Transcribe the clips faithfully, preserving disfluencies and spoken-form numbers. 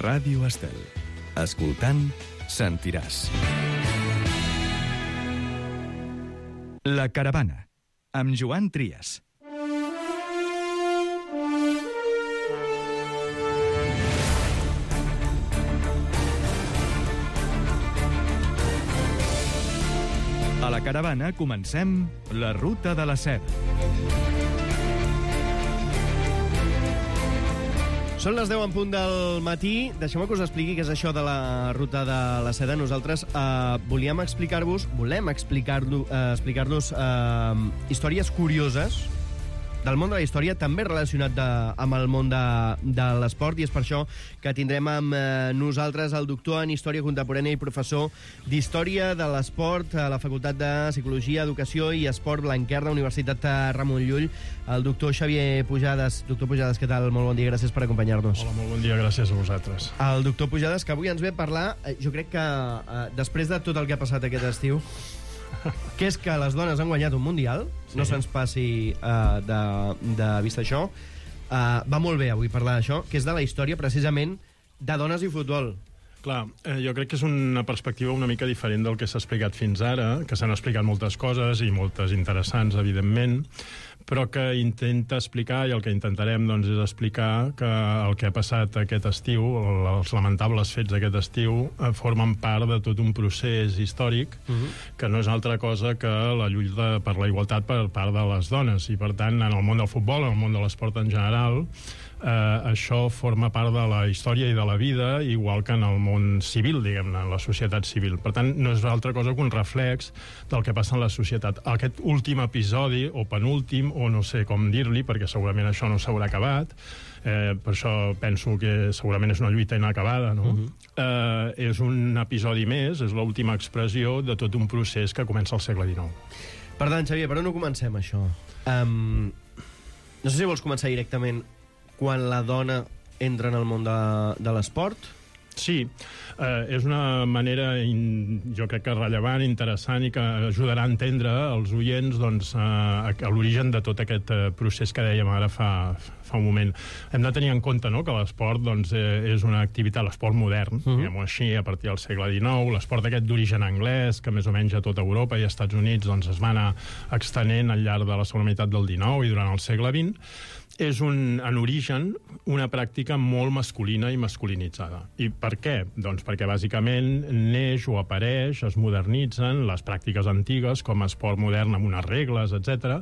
Ràdio Estel. Escoltant, sentiràs. La Caravana, amb Joan Trias. A la Caravana comencem la Ruta de la Seda. Són les deu en punt del matí. Deixeu-me que us expliqui què és això de la Ruta de la Seda. Nosaltres eh, volíem explicar-vos, volem explicar-los eh, explicar-los eh, històries curioses del món de la història, també relacionat de, amb el món de, de l'esport, i és per això que tindrem amb eh, nosaltres el doctor en Història Contemporània i professor d'Història de l'Esport a la Facultat de Psicologia, Educació i Esport Blanquer de la Universitat Ramon Llull, el doctor Xavier Pujades. Doctor Pujades, què tal? Molt bon dia, gràcies per acompanyar-nos. Hola, molt bon dia, gràcies a vosaltres. El doctor Pujades, que avui ens ve a parlar, eh, jo crec que eh, després de tot el que ha passat aquest estiu, que és que les dones han guanyat un Mundial, sí. No se'ns passi uh, de, de vista això, uh, va molt bé avui parlar d'això, que és de la història precisament de dones i futbol. Clar, eh, jo crec que és una perspectiva una mica diferent del que s'ha explicat fins ara, que s'han explicat moltes coses i moltes interessants, evidentment, però que intenta explicar, i el que intentarem doncs, és explicar que el que ha passat aquest estiu, els lamentables fets d'aquest estiu, eh, formen part de tot un procés històric uh-huh. que no és altra cosa que la lluita per la igualtat per part de les dones, i per tant en el món del futbol, en el món de l'esport en general, eh, això forma part de la història i de la vida, igual que en el món civil, diguem-ne, en la societat civil. Per tant, no és altra cosa que un reflex del que passa en la societat. Aquest últim episodi, o penúltim, o no sé com dir-li, perquè segurament això no s'haurà acabat, eh, per això penso que segurament és una lluita inacabada, no? Uh-huh. eh, és un episodi més, és l'última expressió de tot un procés que comença al segle dinou. Per tant, Xavier, per on ho comencem, això? Um, no sé si vols començar directament quan la dona entra en el món de, de l'esport. Sí, eh, és una manera, in, jo crec que rellevant, interessant, i que ajudarà a entendre els oients doncs, a, a l'origen de tot aquest eh, procés que dèiem ara fa, fa un moment. Hem de tenir en compte, no?, que l'esport doncs, eh, és una activitat, l'esport modern, uh-huh. diguem-ho així, a partir del segle dinou, l'esport aquest d'origen anglès, que més o menys a tota Europa i als Estats Units doncs, es va anar extenent al llarg de la segona meitat del dinou i durant el segle vint, és un, en origen una pràctica molt masculina i masculinitzada. I per què? Doncs perquè bàsicament neix o apareix, es modernitzen les pràctiques antigues com a esport modern amb unes regles, etcètera,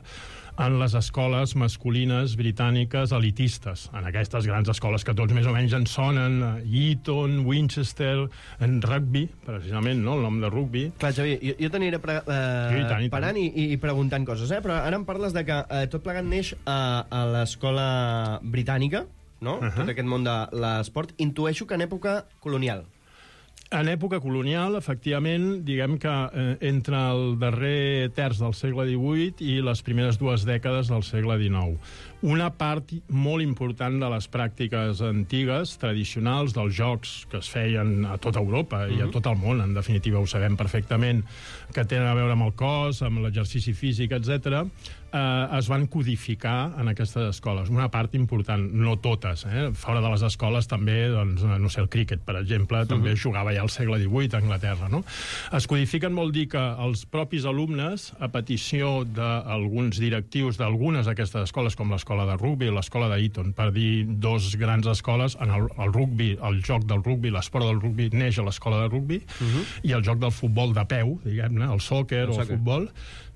en les escoles masculines britàniques elitistes, en aquestes grans escoles que tots més o menys en sonen, Eton, Winchester, en rugby, precisament, no?, el nom de rugby. Clar, Xavier, jo, jo t'aniré pre eh, I tant, i parant i, i preguntant coses, eh? Però ara em parles de que eh, tot plegat neix a, a l'escola britànica, no?, uh-huh. tot aquest món de l'esport, intueixo que en època colonial. En època colonial, efectivament, diguem que eh, entre el darrer terç del segle divuit i les primeres dues dècades del segle dinou. Una part molt important de les pràctiques antigues, tradicionals, dels jocs que es feien a tota Europa uh-huh. i a tot el món, en definitiva ho sabem perfectament, que tenen a veure amb el cos, amb l'exercici físic, etcètera, eh, es van codificar en aquestes escoles. Una part important, no totes. Eh? Fora de les escoles també, doncs, no sé, el críquet, per exemple, uh-huh. també jugava ja al segle divuit a Anglaterra, no? Es codifiquen vol dir que els propis alumnes, a petició d'alguns directius d'algunes d'aquestes escoles, com l'escola de rugby i l'escola d'Eton, per dir dos grans escoles, en el, el rugby, el joc del rugby, l'esport del rugby neix a l'escola de rugby, uh-huh. i el joc del futbol de peu, diguem-ne, el sòquer o el futbol,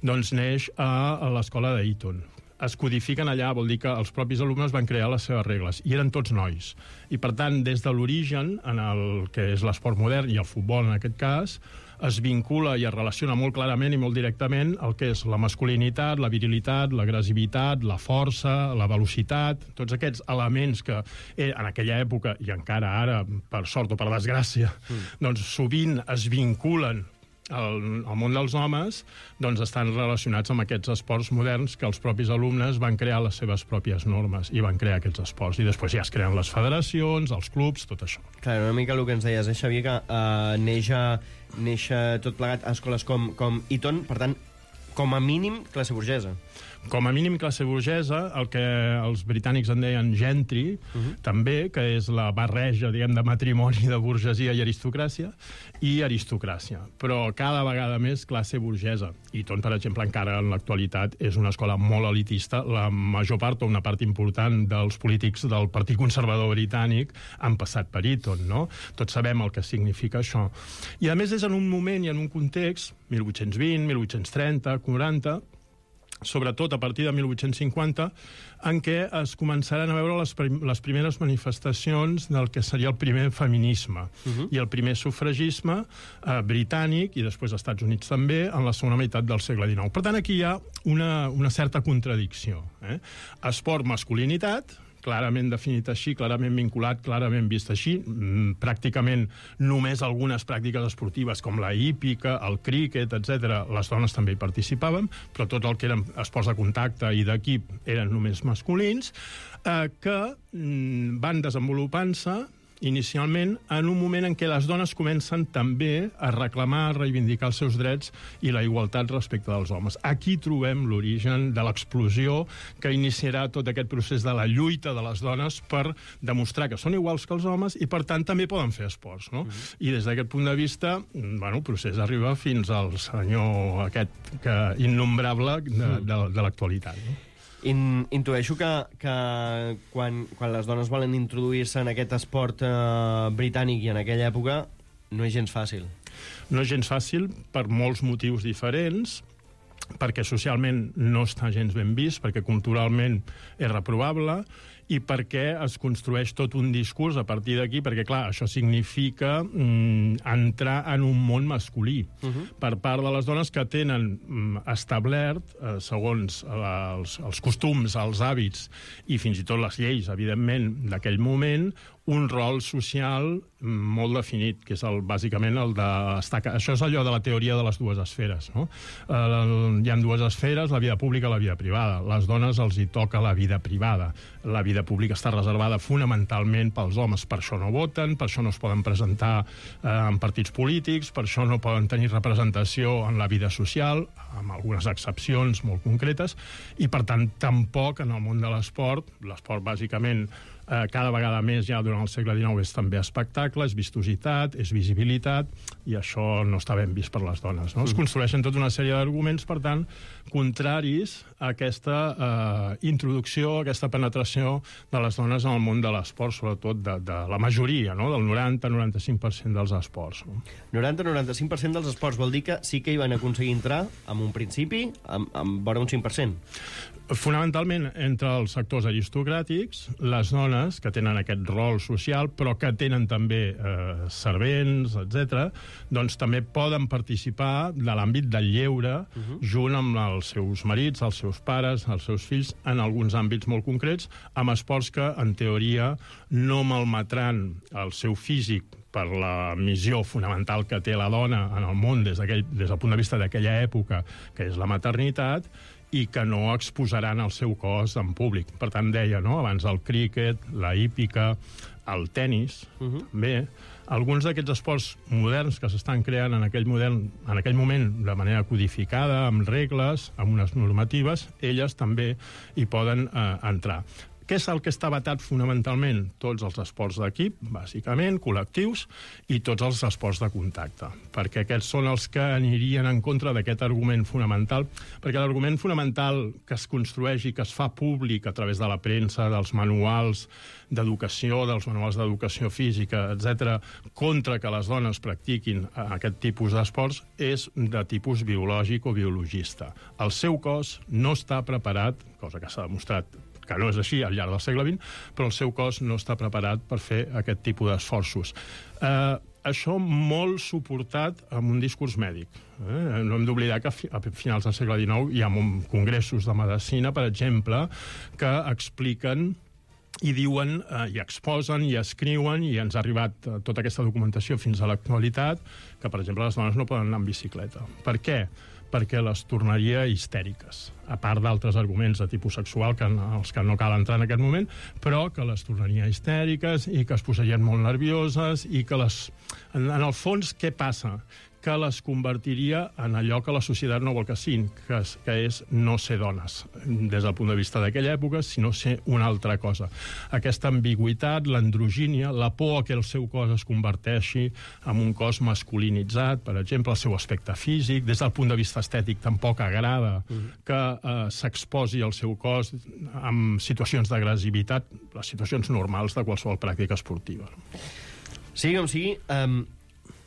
doncs neix a, a l'escola d'Eton. Es codifiquen allà, vol dir que els propis alumnes van crear les seves regles, i eren tots nois. I, per tant, des de l'origen, en el que és l'esport modern, i el futbol en aquest cas, es vincula i es relaciona molt clarament i molt directament el que és la masculinitat, la virilitat, l'agressivitat, la força, la velocitat, tots aquests elements que eh, en aquella època, i encara ara, per sort o per desgràcia, mm. doncs sovint es vinculen el, el món dels homes, doncs estan relacionats amb aquests esports moderns que els propis alumnes van crear les seves pròpies normes i van crear aquests esports. I després ja es creen les federacions, els clubs, tot això. Clar, una mica el que ens deies, eh, Xavier, que uh, neix, a, neix a tot plegat a escoles com, com Eton, per tant, com a mínim, classe burgesa. Com a mínim classe burgesa, el que els britànics en deien gentry, uh -huh. també, que és la barreja, diguem, de matrimoni de burgesia i aristocràcia, i aristocràcia. Però cada vegada més classe burgesa. Eton, per exemple, encara en l'actualitat és una escola molt elitista. La major part, o una part important dels polítics del Partit Conservador britànic han passat per Eton, no? Tots sabem el que significa això. I a més és en un moment i en un context, mil vuit-cents vint, mil vuit-cents trenta, quaranta, sobretot a partir de mil vuit-cents cinquanta, en què es començaran a veure les, prim les primeres manifestacions del que seria el primer feminisme uh -huh. i el primer sufragisme eh, britànic, i després als Estats Units també, en la segona meitat del segle dinou. Per tant, aquí hi ha una, una certa contradicció. Eh? Esport, masculinitat, clarament definit així, clarament vinculat, clarament vist així. Mm, pràcticament només algunes pràctiques esportives com la hípica, el críquet, etcètera, les dones també hi participaven, però tot el que eren esports de contacte i d'equip eren només masculins, eh, que mm, van desenvolupant-se inicialment en un moment en què les dones comencen també a reclamar, a reivindicar els seus drets i la igualtat respecte dels homes. Aquí trobem l'origen de l'explosió que iniciarà tot aquest procés de la lluita de les dones per demostrar que són iguals que els homes i, per tant, també poden fer esports, no? Uh-huh. I des d'aquest punt de vista, bueno, el procés arriba fins al senyor aquest que, innombrable de, de, de l'actualitat, no? In, intueixo que, que quan, quan les dones volen introduir-se en aquest esport eh, britànic i en aquella època no és gens fàcil. No és gens fàcil per molts motius diferents, perquè socialment no està gens ben vist, perquè culturalment és reprovable, i perquè es construeix tot un discurs a partir d'aquí, perquè, clar, això significa mm, entrar en un món masculí uh-huh. per part de les dones que tenen mm, establert, eh, segons els, els costums, els hàbits i fins i tot les lleis, evidentment, d'aquell moment, un rol social molt definit, que és el, bàsicament el de... Això és allò de la teoria de les dues esferes, no? Eh, hi ha dues esferes, la vida pública i la vida privada. Les dones els hi toca la vida privada. La vida pública està reservada fonamentalment pels homes. Per això no voten, per això no es poden presentar eh, en partits polítics, per això no poden tenir representació en la vida social, amb algunes excepcions molt concretes, i, per tant, tampoc en el món de l'esport, l'esport, bàsicament, Eh, cada vegada més ja durant el segle dinou és també espectacle, és vistositat, és visibilitat, i això no està ben vist per les dones, no? Es construeixen tota una sèrie d'arguments, per tant, contraris a aquesta eh, introducció, aquesta penetració de les dones en el món de l'esport, sobretot de, de la majoria, no? Del noranta a noranta-cinc per cent dels esports. No? noranta a noranta-cinc per cent dels esports vol dir que sí que hi van aconseguir entrar, en un principi, amb, amb vora un cinc per cent. Fonamentalment, entre els sectors aristocràtics, les dones que tenen aquest rol social, però que tenen també eh, servents, etcètera, doncs també poden participar de l'àmbit del lleure, uh-huh. junt amb els seus marits, els seus pares, els seus fills, en alguns àmbits molt concrets, amb esports que, en teoria, no malmetran el seu físic per la missió fonamental que té la dona en el món des, des del punt de vista d'aquella època, que és la maternitat, i que no exposaran el seu cos en públic. Per tant, deia, no?, abans el críquet, la hípica, el tennis, uh-huh. també. Alguns d'aquests esports moderns que s'estan creant en aquell, model, en aquell moment de manera codificada, amb regles, amb unes normatives, elles també hi poden eh, entrar. Què és el que està vetat fonamentalment? Tots els esports d'equip, bàsicament, col·lectius, i tots els esports de contacte, perquè aquests són els que anirien en contra d'aquest argument fonamental, perquè l'argument fonamental que es construeix i que es fa públic a través de la premsa, dels manuals d'educació, dels manuals d'educació física, etcètera, contra que les dones practiquin aquest tipus d'esports, és de tipus biològic o biologista. El seu cos no està preparat, cosa que s'ha demostrat que no és així al llarg del segle vint, però el seu cos no està preparat per fer aquest tipus d'esforços. Eh, això molt suportat amb un discurs mèdic. Eh? No hem d'oblidar que a finals del segle dinou hi ha congressos de medicina, per exemple, que expliquen i diuen, eh, i exposen, i escriuen, i ens ha arribat eh, tota aquesta documentació fins a l'actualitat, que, per exemple, les dones no poden anar en bicicleta. Per què? Perquè les tornaria histèriques, a part d'altres arguments de tipus sexual que, els que no cal entrar en aquest moment, però que les tornaria histèriques i que es posarien molt nervioses i que les... En, en el fons, què passa? que les convertiria en allò que la societat no vol que siguin, que és, que és no ser dones, des del punt de vista d'aquella època, sinó ser una altra cosa. Aquesta ambigüitat, l'androgínia, la por que el seu cos es converteixi en un cos masculinitzat, per exemple, el seu aspecte físic, des del punt de vista estètic tampoc agrada mm. que eh, s'exposi el seu cos en situacions d'agressivitat, les situacions normals de qualsevol pràctica esportiva. Sigui com sigui, um,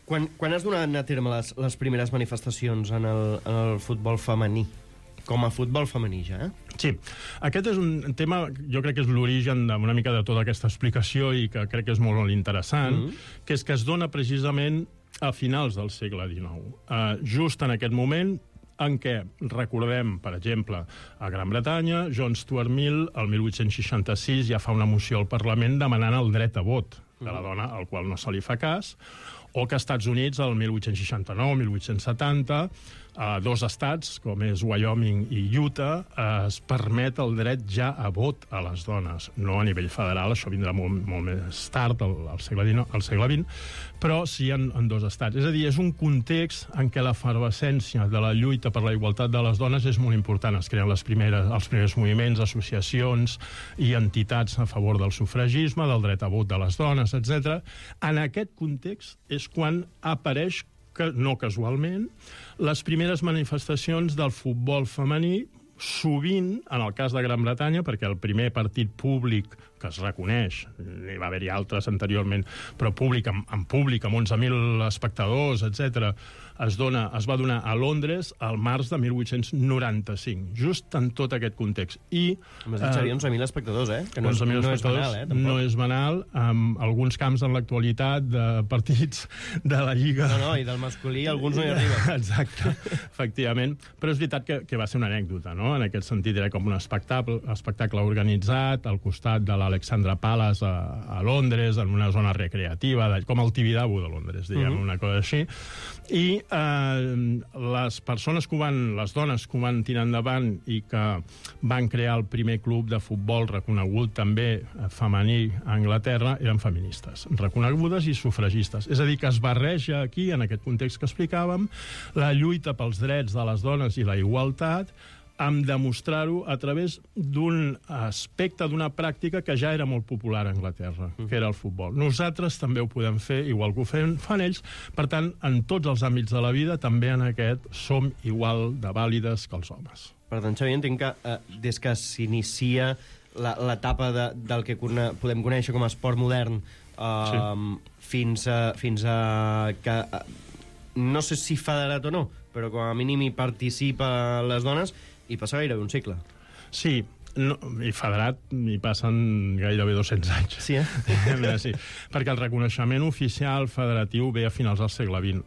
quan, quan has donat a terme les, les primeres manifestacions en el, en el futbol femení? Com a futbol femení, ja, eh? Sí. Aquest és un tema, jo crec que és l'origen d'una mica de tota aquesta explicació i que crec que és molt interessant, mm-hmm. que és que es dona precisament a finals del segle dinou. Uh, just en aquest moment en què recordem, per exemple, a Gran Bretanya, John Stuart Mill, el mil vuit-cents seixanta-sis, ja fa una moció al Parlament demanant el dret a vot de la dona, al qual no se li fa cas, o que als Estats Units, el mil vuit-cents seixanta-nou, mil vuit-cents setanta, a dos estats, com és Wyoming i Utah, es permet el dret ja a vot a les dones. No a nivell federal, això vindrà molt, molt més tard, al, al, segle dinou, al segle vint, però sí en, en dos estats. És a dir, és un context en què l'efervescència de la lluita per la igualtat de les dones és molt important. Es creen les primeres, els primers moviments, associacions i entitats a favor del sufragisme, del dret a vot de les dones, etcètera. En aquest context és quan apareix, que no casualment, les primeres manifestacions del futbol femení, sovint, en el cas de Gran Bretanya, perquè el primer partit públic que es reconeix, n'hi va haver-hi altres anteriorment, però públic, en, en públic, amb onze mil espectadors, etcètera, es, dona, es va donar a Londres al març de mil vuit-cents noranta-cinc, just en tot aquest context. I, M'has dit, Xavier, onze mil espectadors, eh? Que no, és, no és banal, eh? Tampoc. No és banal, amb alguns camps en l'actualitat de partits de la Lliga... No, no, i del masculí alguns no hi arriben. Exacte, efectivament. Però és veritat que, que va ser una anècdota, no? En aquest sentit, era com un espectacle, espectacle organitzat al costat de l'Alexandra Palace a, a Londres, en una zona recreativa, de, com el Tibidabo de Londres, diguem, uh-huh. una cosa així. I eh, les persones que ho van, les dones que ho van tirar endavant i que van crear el primer club de futbol reconegut també femení a Anglaterra eren feministes, reconegudes i sufragistes. És a dir, que es barreja aquí, en aquest context que explicàvem, la lluita pels drets de les dones i la igualtat, amb demostrar-ho a través d'un aspecte, d'una pràctica que ja era molt popular a Anglaterra, que era el futbol. Nosaltres també ho podem fer, igual que ho fan, fan ells. Per tant, en tots els àmbits de la vida, també en aquest, som igual de vàlides que els homes. Per tant, Xavier, entenc que eh, des que s'inicia l'etapa de, del que podem conèixer com a esport modern eh, sí. fins, a, fins a que... Eh, no sé si federat o no, però com a mínim hi participa les dones, i passa gairebé un segle. Sí, no, i federat hi passen gairebé dos-cents anys. Sí, eh? Sí, perquè el reconeixement oficial federatiu ve a finals del segle vint.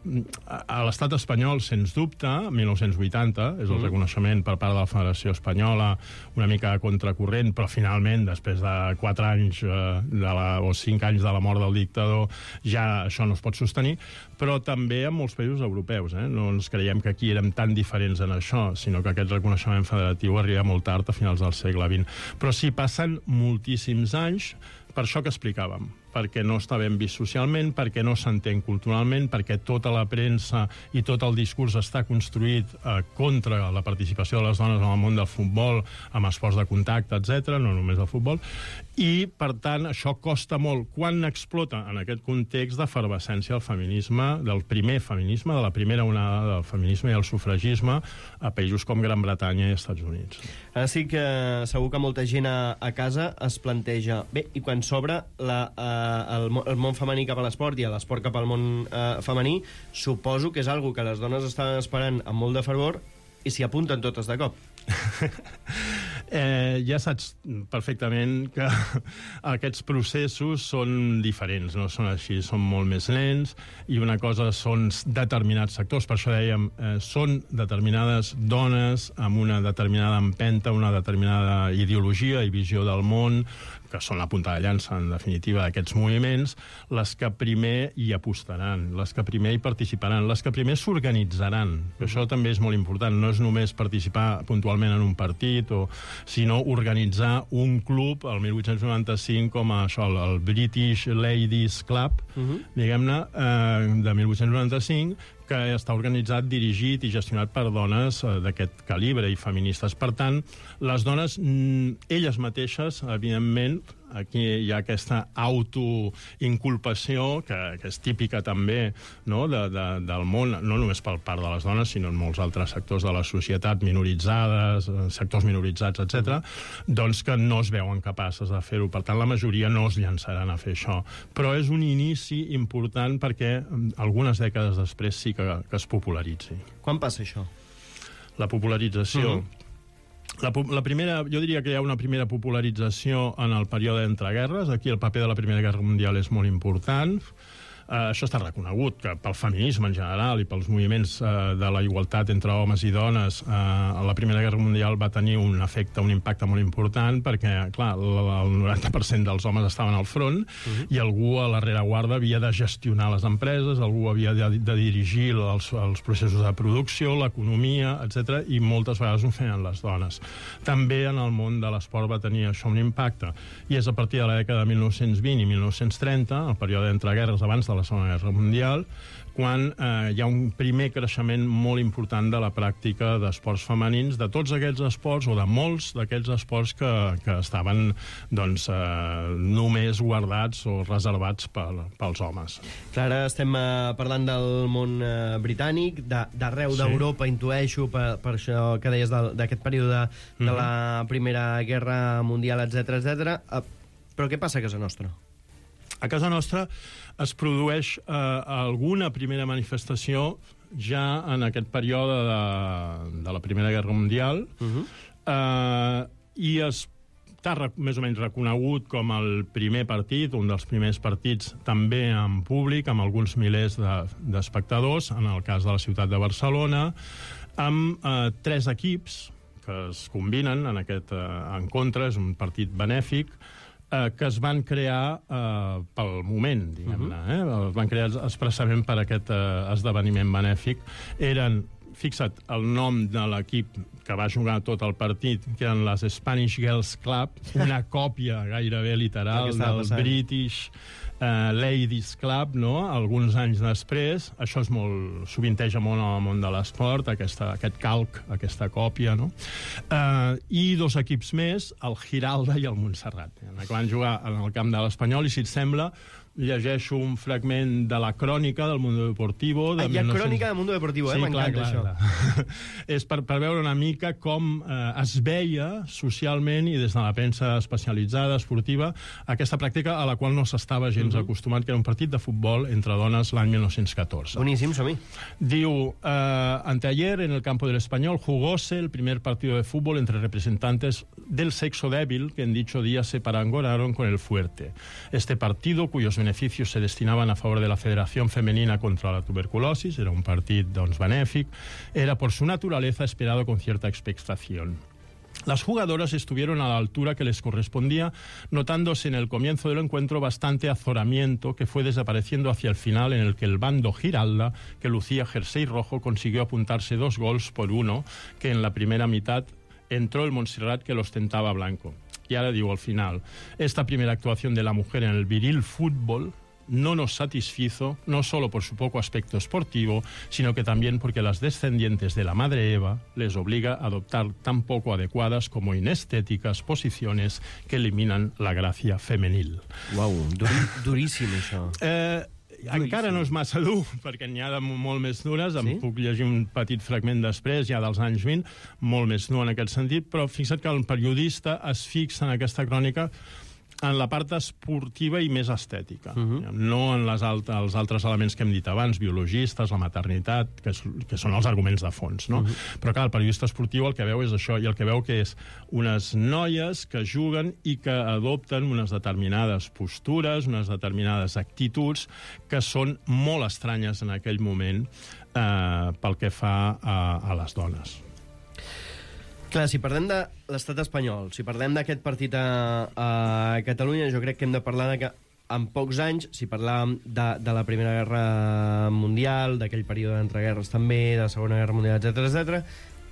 A l'estat espanyol, sens dubte, mil nou-cents vuitanta, és el mm. reconeixement per part de la Federació Espanyola, una mica contracorrent, però finalment, després de quatre anys eh, de la, o cinc anys de la mort del dictador, ja això no es pot sostenir, però també en molts països europeus. Eh? No ens creiem que aquí érem tan diferents en això, sinó que aquest reconeixement federatiu arriba molt tard, a finals del segle vint. Però sí, passen moltíssims anys per això que explicàvem, perquè no està ben vist socialment, perquè no s'entén culturalment, perquè tota la premsa i tot el discurs està construït eh, contra la participació de les dones en el món del futbol, amb esports de contacte, etcètera, no només el futbol, i, per tant, això costa molt. Quan explota en aquest context d'efervescència el feminisme, del primer feminisme, de la primera onada del feminisme i el sufragisme a països com Gran Bretanya i Estats Units. Ara sí que segur que molta gent a, a casa es planteja, bé, i quan s'obre la, eh, el, el món femení cap a l'esport i l'esport cap al món eh, femení, suposo que és algo que les dones estan esperant amb molt de fervor i s'hi apunten totes de cop. eh, ja saps perfectament que aquests processos són diferents, no són així, són molt més lents, i una cosa són determinats sectors, per això dèiem, eh, són determinades dones amb una determinada empenta, una determinada ideologia i visió del món, que són la punta de llança, en definitiva, d'aquests moviments, les que primer hi apostaran, les que primer hi participaran, les que primer s'organitzaran. Això també és molt important, no és només participar puntualment en un partit, o, sinó organitzar un club, el mil vuit-cents noranta-cinc, com a això, el British Ladies Club, uh-huh. diguem-ne, eh, de mil vuit-cents noranta-cinc, que està organitzat, dirigit i gestionat per dones eh, d'aquest calibre i feministes. Per tant, les dones, mm, elles mateixes, evidentment, aquí hi ha aquesta autoinculpació, que, que és típica també, no?, de, de, del món, no només per part de les dones, sinó en molts altres sectors de la societat, minoritzades, sectors minoritzats, etcètera, doncs que no es veuen capaces de fer-ho. Per tant, la majoria no es llançaran a fer això. Però és un inici important perquè algunes dècades després sí que, que es popularitzi. Quan passa això? La popularització... Uh-huh. La, la primera, jo diria que hi ha una primera popularització en el període d'entreguerres. Aquí el paper de la Primera Guerra Mundial és molt important. Uh, això està reconegut, que pel feminisme en general i pels moviments uh, de la igualtat entre homes i dones, uh, la Primera Guerra Mundial va tenir un efecte, un impacte molt important, perquè, clar, el noranta per cent dels homes estaven al front, uh-huh. i algú a la rereguarda havia de gestionar les empreses, algú havia de, de dirigir els, els processos de producció, l'economia, etcètera, i moltes vegades ho feien les dones. També en el món de l'esport va tenir això un impacte, i és a partir de la dècada de mil nou-cents vint i mil nou-cents trenta, el període d'entreguerres abans de la Segona Guerra Mundial, quan eh, hi ha un primer creixement molt important de la pràctica d'esports femenins, de tots aquests esports, o de molts d'aquests esports que, que estaven doncs, eh, només guardats o reservats pel, pels homes. Clar, ara estem eh, parlant del món eh, britànic, d'arreu sí. d'Europa, intueixo, per, per això que deies d'aquest període de mm-hmm. la Primera Guerra Mundial, etcètera, etcètera. Eh, però què passa a casa nostra? A casa nostra es produeix eh, alguna primera manifestació ja en aquest període de, de la Primera Guerra Mundial, uh-huh. eh, i està més o menys reconegut com el primer partit, un dels primers partits també en públic, amb alguns milers d'espectadors, de, en el cas de la ciutat de Barcelona, amb eh, tres equips que es combinen en aquest eh, encontre, és un partit benèfic, Eh, que es van crear eh, pel moment, diguem-ne. Eh? Es van crear expressament per aquest eh, esdeveniment benèfic. Eren, fixa't, el nom de l'equip que va jugar tot el partit, que eren les Spanish Girls Club, una còpia gairebé literal del passant. British uh, Ladies Club, no? Alguns anys després. Això és molt, sovinteja molt en el món de l'esport, aquesta, aquest calc, aquesta còpia, no? Uh, I dos equips més, el Giralda i el Montserrat, que van jugar en el camp de l'Espanyol, i si et sembla, llegeixo un fragment de la crònica del Mundo Deportivo. De ah, hi ha mil nou-cents... crònica del Mundo Deportivo, eh? Sí, m'encanta això. Clar. És per, per veure una mica com eh, es veia socialment i des de la premsa especialitzada, esportiva, aquesta pràctica a la qual no s'estava gens uh-huh. acostumat, que era un partit de futbol entre dones l'any mil nou-cents catorze. Boníssim, som-hi. Diu, eh, anteayer en el campo del Español jugóse el primer partido de fútbol entre representantes del sexo débil que en dicho día se parangonaron con el fuerte. Este partido, cuyos beneficios se destinaban a favor de la Federación Femenina contra la Tuberculosis, era un partit doncs, benèfic, era por su naturaleza esperado con cierta expectación. Las jugadoras estuvieron a la altura que les correspondía, notándose en el comienzo del encuentro bastante azoramiento que fue desapareciendo hacia el final, en el que el bando Giralda, que lucía jersey rojo, consiguió apuntarse dos gols por uno, que en la primera mitad entró el Montserrat, que lo ostentaba blanco. Y ahora digo al final, esta primera actuación de la mujer en el viril fútbol no nos satisfizo, no solo por su poco aspecto esportivo, sino que también porque las descendientes de la madre Eva les obliga a adoptar tan poco adecuadas como inestéticas posiciones que eliminan la gracia femenil. Uau, dur duríssim, això. Eh... Encara no és massa dur, perquè n'hi ha de molt més dures. Sí? Em puc llegir un petit fragment després, ja dels anys vint, molt més dur en aquest sentit, però fixa't que el periodista es fixa en aquesta crònica en la part esportiva i més estètica, uh-huh. no en les alt els altres elements que hem dit abans, biologistes, la maternitat, que, és, que són els arguments de fons, no? Uh-huh. Però clar, el periodista esportiu el que veu és això, i el que veu que és unes noies que juguen i que adopten unes determinades postures, unes determinades actituds que són molt estranyes en aquell moment eh, pel que fa a, a les dones. Clar, si parlem de l'estat espanyol, si parlem d'aquest partit a, a Catalunya, jo crec que hem de parlar de que en pocs anys, si parlàvem de, de la Primera Guerra Mundial, d'aquell període d'entreguerres també, de la Segona Guerra Mundial, etcètera, etcètera,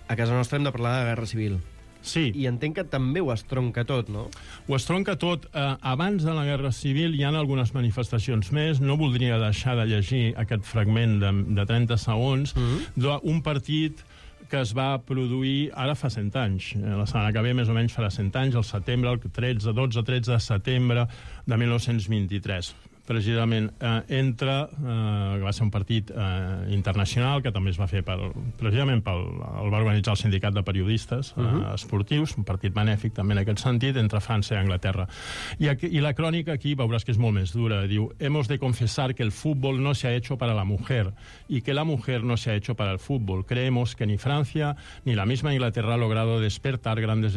a casa nostra hem de parlar de Guerra Civil. Sí. I entenc que també ho estronca tot, no? Ho estronca tot. Eh, abans de la Guerra Civil hi ha algunes manifestacions més. No voldria deixar de llegir aquest fragment de, de trenta segons mm-hmm. d'un partit que es va produir ara fa cent anys. La setmana que ve més o menys farà cent anys, al setembre, el tretze, dotze, tretze de setembre de mil nou-cents vint-i-tres. Precisament eh, entre, eh, que va ser un partit eh, internacional, que també es va fer per, precisament pel, el va organitzar el sindicat de periodistes eh, uh-huh. esportius, un partit benèfic també en aquest sentit, entre França i Anglaterra. I, aquí, i la crònica aquí veuràs que és molt més dura. Diu, hemos de confesar que el fútbol no se ha hecho para la mujer y que la mujer no se ha hecho para el fútbol. Creemos que ni Francia ni la misma Inglaterra ha logrado despertar grandes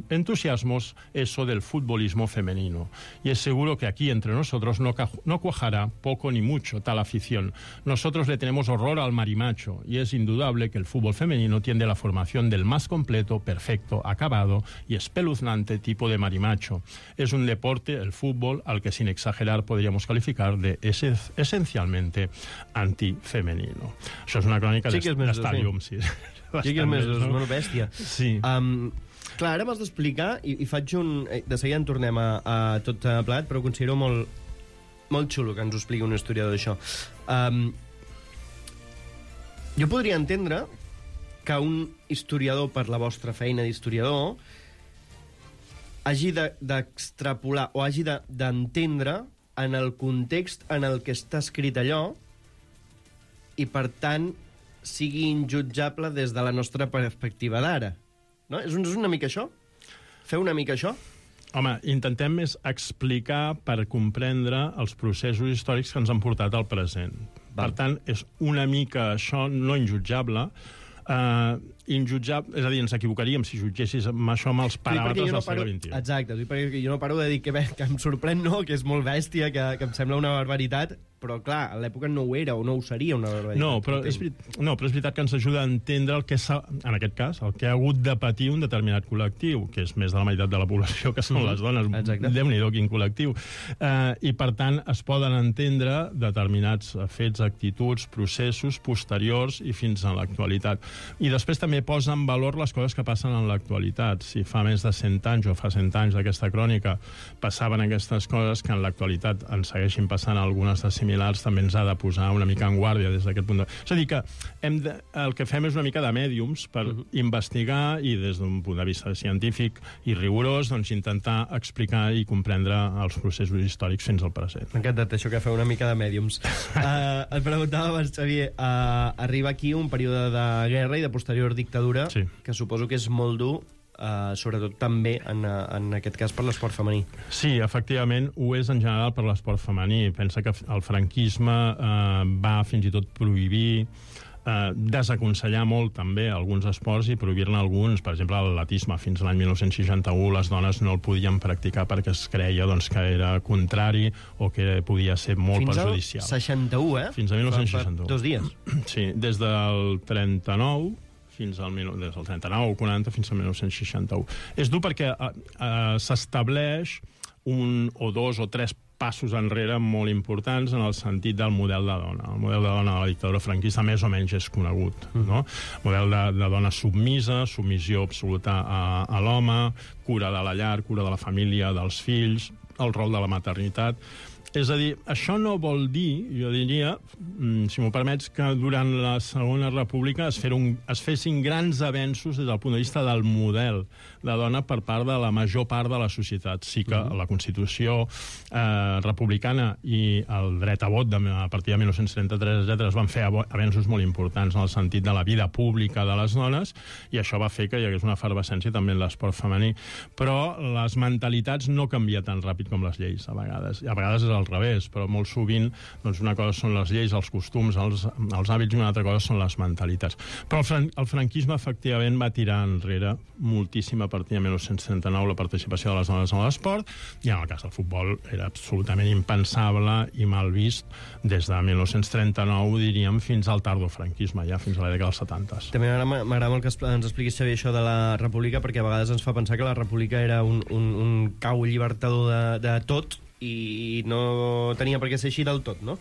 entusiasmos eso del futbolismo femenino. Y es seguro que aquí entre nosotros no No cuajará poco ni mucho tal afición. Nosotros le tenemos horror al marimacho y es indudable que el fútbol femenino tiende a la formación del más completo, perfecto, acabado y espeluznante tipo de marimacho. Es un deporte, el fútbol, al que sin exagerar podríamos calificar de ese, esencialmente antifemenino. Això és una crònica sí d'Estadium. Sí, sí que és més, no? Una bèstia. Sí. Um, clar, ara m'has d'explicar, i, i faig un... De seguida en tornem a, a tot plat, però ho considero molt... molt xulo que ens ho expliqui un historiador d'això. Um, jo podria entendre que un historiador, per la vostra feina d'historiador, hagi d'extrapolar de, o hagi d'entendre de, en el context en el que està escrit allò i, per tant, sigui injutjable des de la nostra perspectiva d'ara. No? És, és una mica això? Fer una mica això? Home, intentem més explicar per comprendre els processos històrics que ens han portat al present. Val. Per tant, és una mica això no injutjable. Uh, injutjable, és a dir, ens equivocaríem si jutgessis amb això amb els paràmetres no del segle vint-i-u. Exacte, perquè jo no paro de dir que, bé, que em sorprèn, no?, que és molt bèstia, que, que em sembla una barbaritat, però, clar, a l'època no ho era o no ho seria una barbaritat. No, però és, no, però és veritat que ens ajuda a entendre el que s'ha, en aquest cas, el que ha hagut de patir un determinat col·lectiu, que és més de la meitat de la població, que són mm-hmm. les dones. Exacte. Déu-n'hi-do, quin col·lectiu. Uh, I, per tant, es poden entendre determinats fets, actituds, processos posteriors i fins a l'actualitat. I després també posa en valor les coses que passen en l'actualitat. Si fa més de cent anys o fa cent anys d'aquesta crònica passaven aquestes coses, que en l'actualitat en segueixin passant algunes de similars, també ens ha de posar una mica en guàrdia des d'aquest punt de... És a dir, que hem de... el que fem és una mica de mèdiums per uh-huh. investigar i des d'un punt de vista científic i rigorós, doncs intentar explicar i comprendre els processos històrics fins al present. M'ha encantat això que feu una mica de mèdiums. uh, et preguntava abans, Xavier, uh, arriba aquí un període de guerra i de posterior dictadura, sí. que suposo que és molt dur, uh, sobretot també en, en aquest cas per l'esport femení. Sí, efectivament, ho és en general per l'esport femení. Pensa que el franquisme uh, va fins i tot prohibir, uh, desaconsellar molt també alguns esports i prohibir-ne alguns. Per exemple, l'atletisme, fins a l'any mil nou-cents seixanta-u les dones no el podien practicar perquè es creia doncs, que era contrari o que podia ser molt fins perjudicial. Fins al seixanta-u, eh? Fins a mil nou-cents seixanta-u. Dos dies. Sí, des del trenta-nou fins al des del trenta-nou o quaranta fins al mil nou-cents seixanta-u. És dur perquè uh, uh, s'estableix un o dos o tres passos enrere molt importants en el sentit del model de dona. El model de dona de la dictadura franquista més o menys és conegut. Mm. No? Model de, de dona submisa, submissió absoluta a, a l'home, cura de la llar, cura de la família, dels fills, el rol de la maternitat. És a dir, això no vol dir, jo diria, si m'ho permets, que durant la Segona República es, un, es fessin grans avenços des del punt de vista del model de dona per part de la major part de la societat. Sí que uh-huh. la Constitució eh, republicana i el dret a vot de, a partir de mil nou-cents trenta-tres, etcètera, es van fer avenços molt importants en el sentit de la vida pública de les dones, i això va fer que hi hagués una efervescència també en l'esport femení. Però les mentalitats no canvien tan ràpid com les lleis, a vegades. A vegades és al revés, però molt sovint doncs una cosa són les lleis, els costums, els, els hàbits, i una altra cosa són les mentalitats. Però el, fran el franquisme efectivament va tirar enrere moltíssim a partir de mil nou-cents trenta-nou la participació de les dones en l'esport, i en el cas del futbol era absolutament impensable i mal vist des de mil nou-cents trenta-nou, diríem, fins al tardofranquisme, ja fins a la dècada dels setanta. També m'agrada molt que ens expliquis, Xavier, això de la república, perquè a vegades ens fa pensar que la república era un, un, un cau llibertador de, de tot, i no tenia per què ser així del tot, no?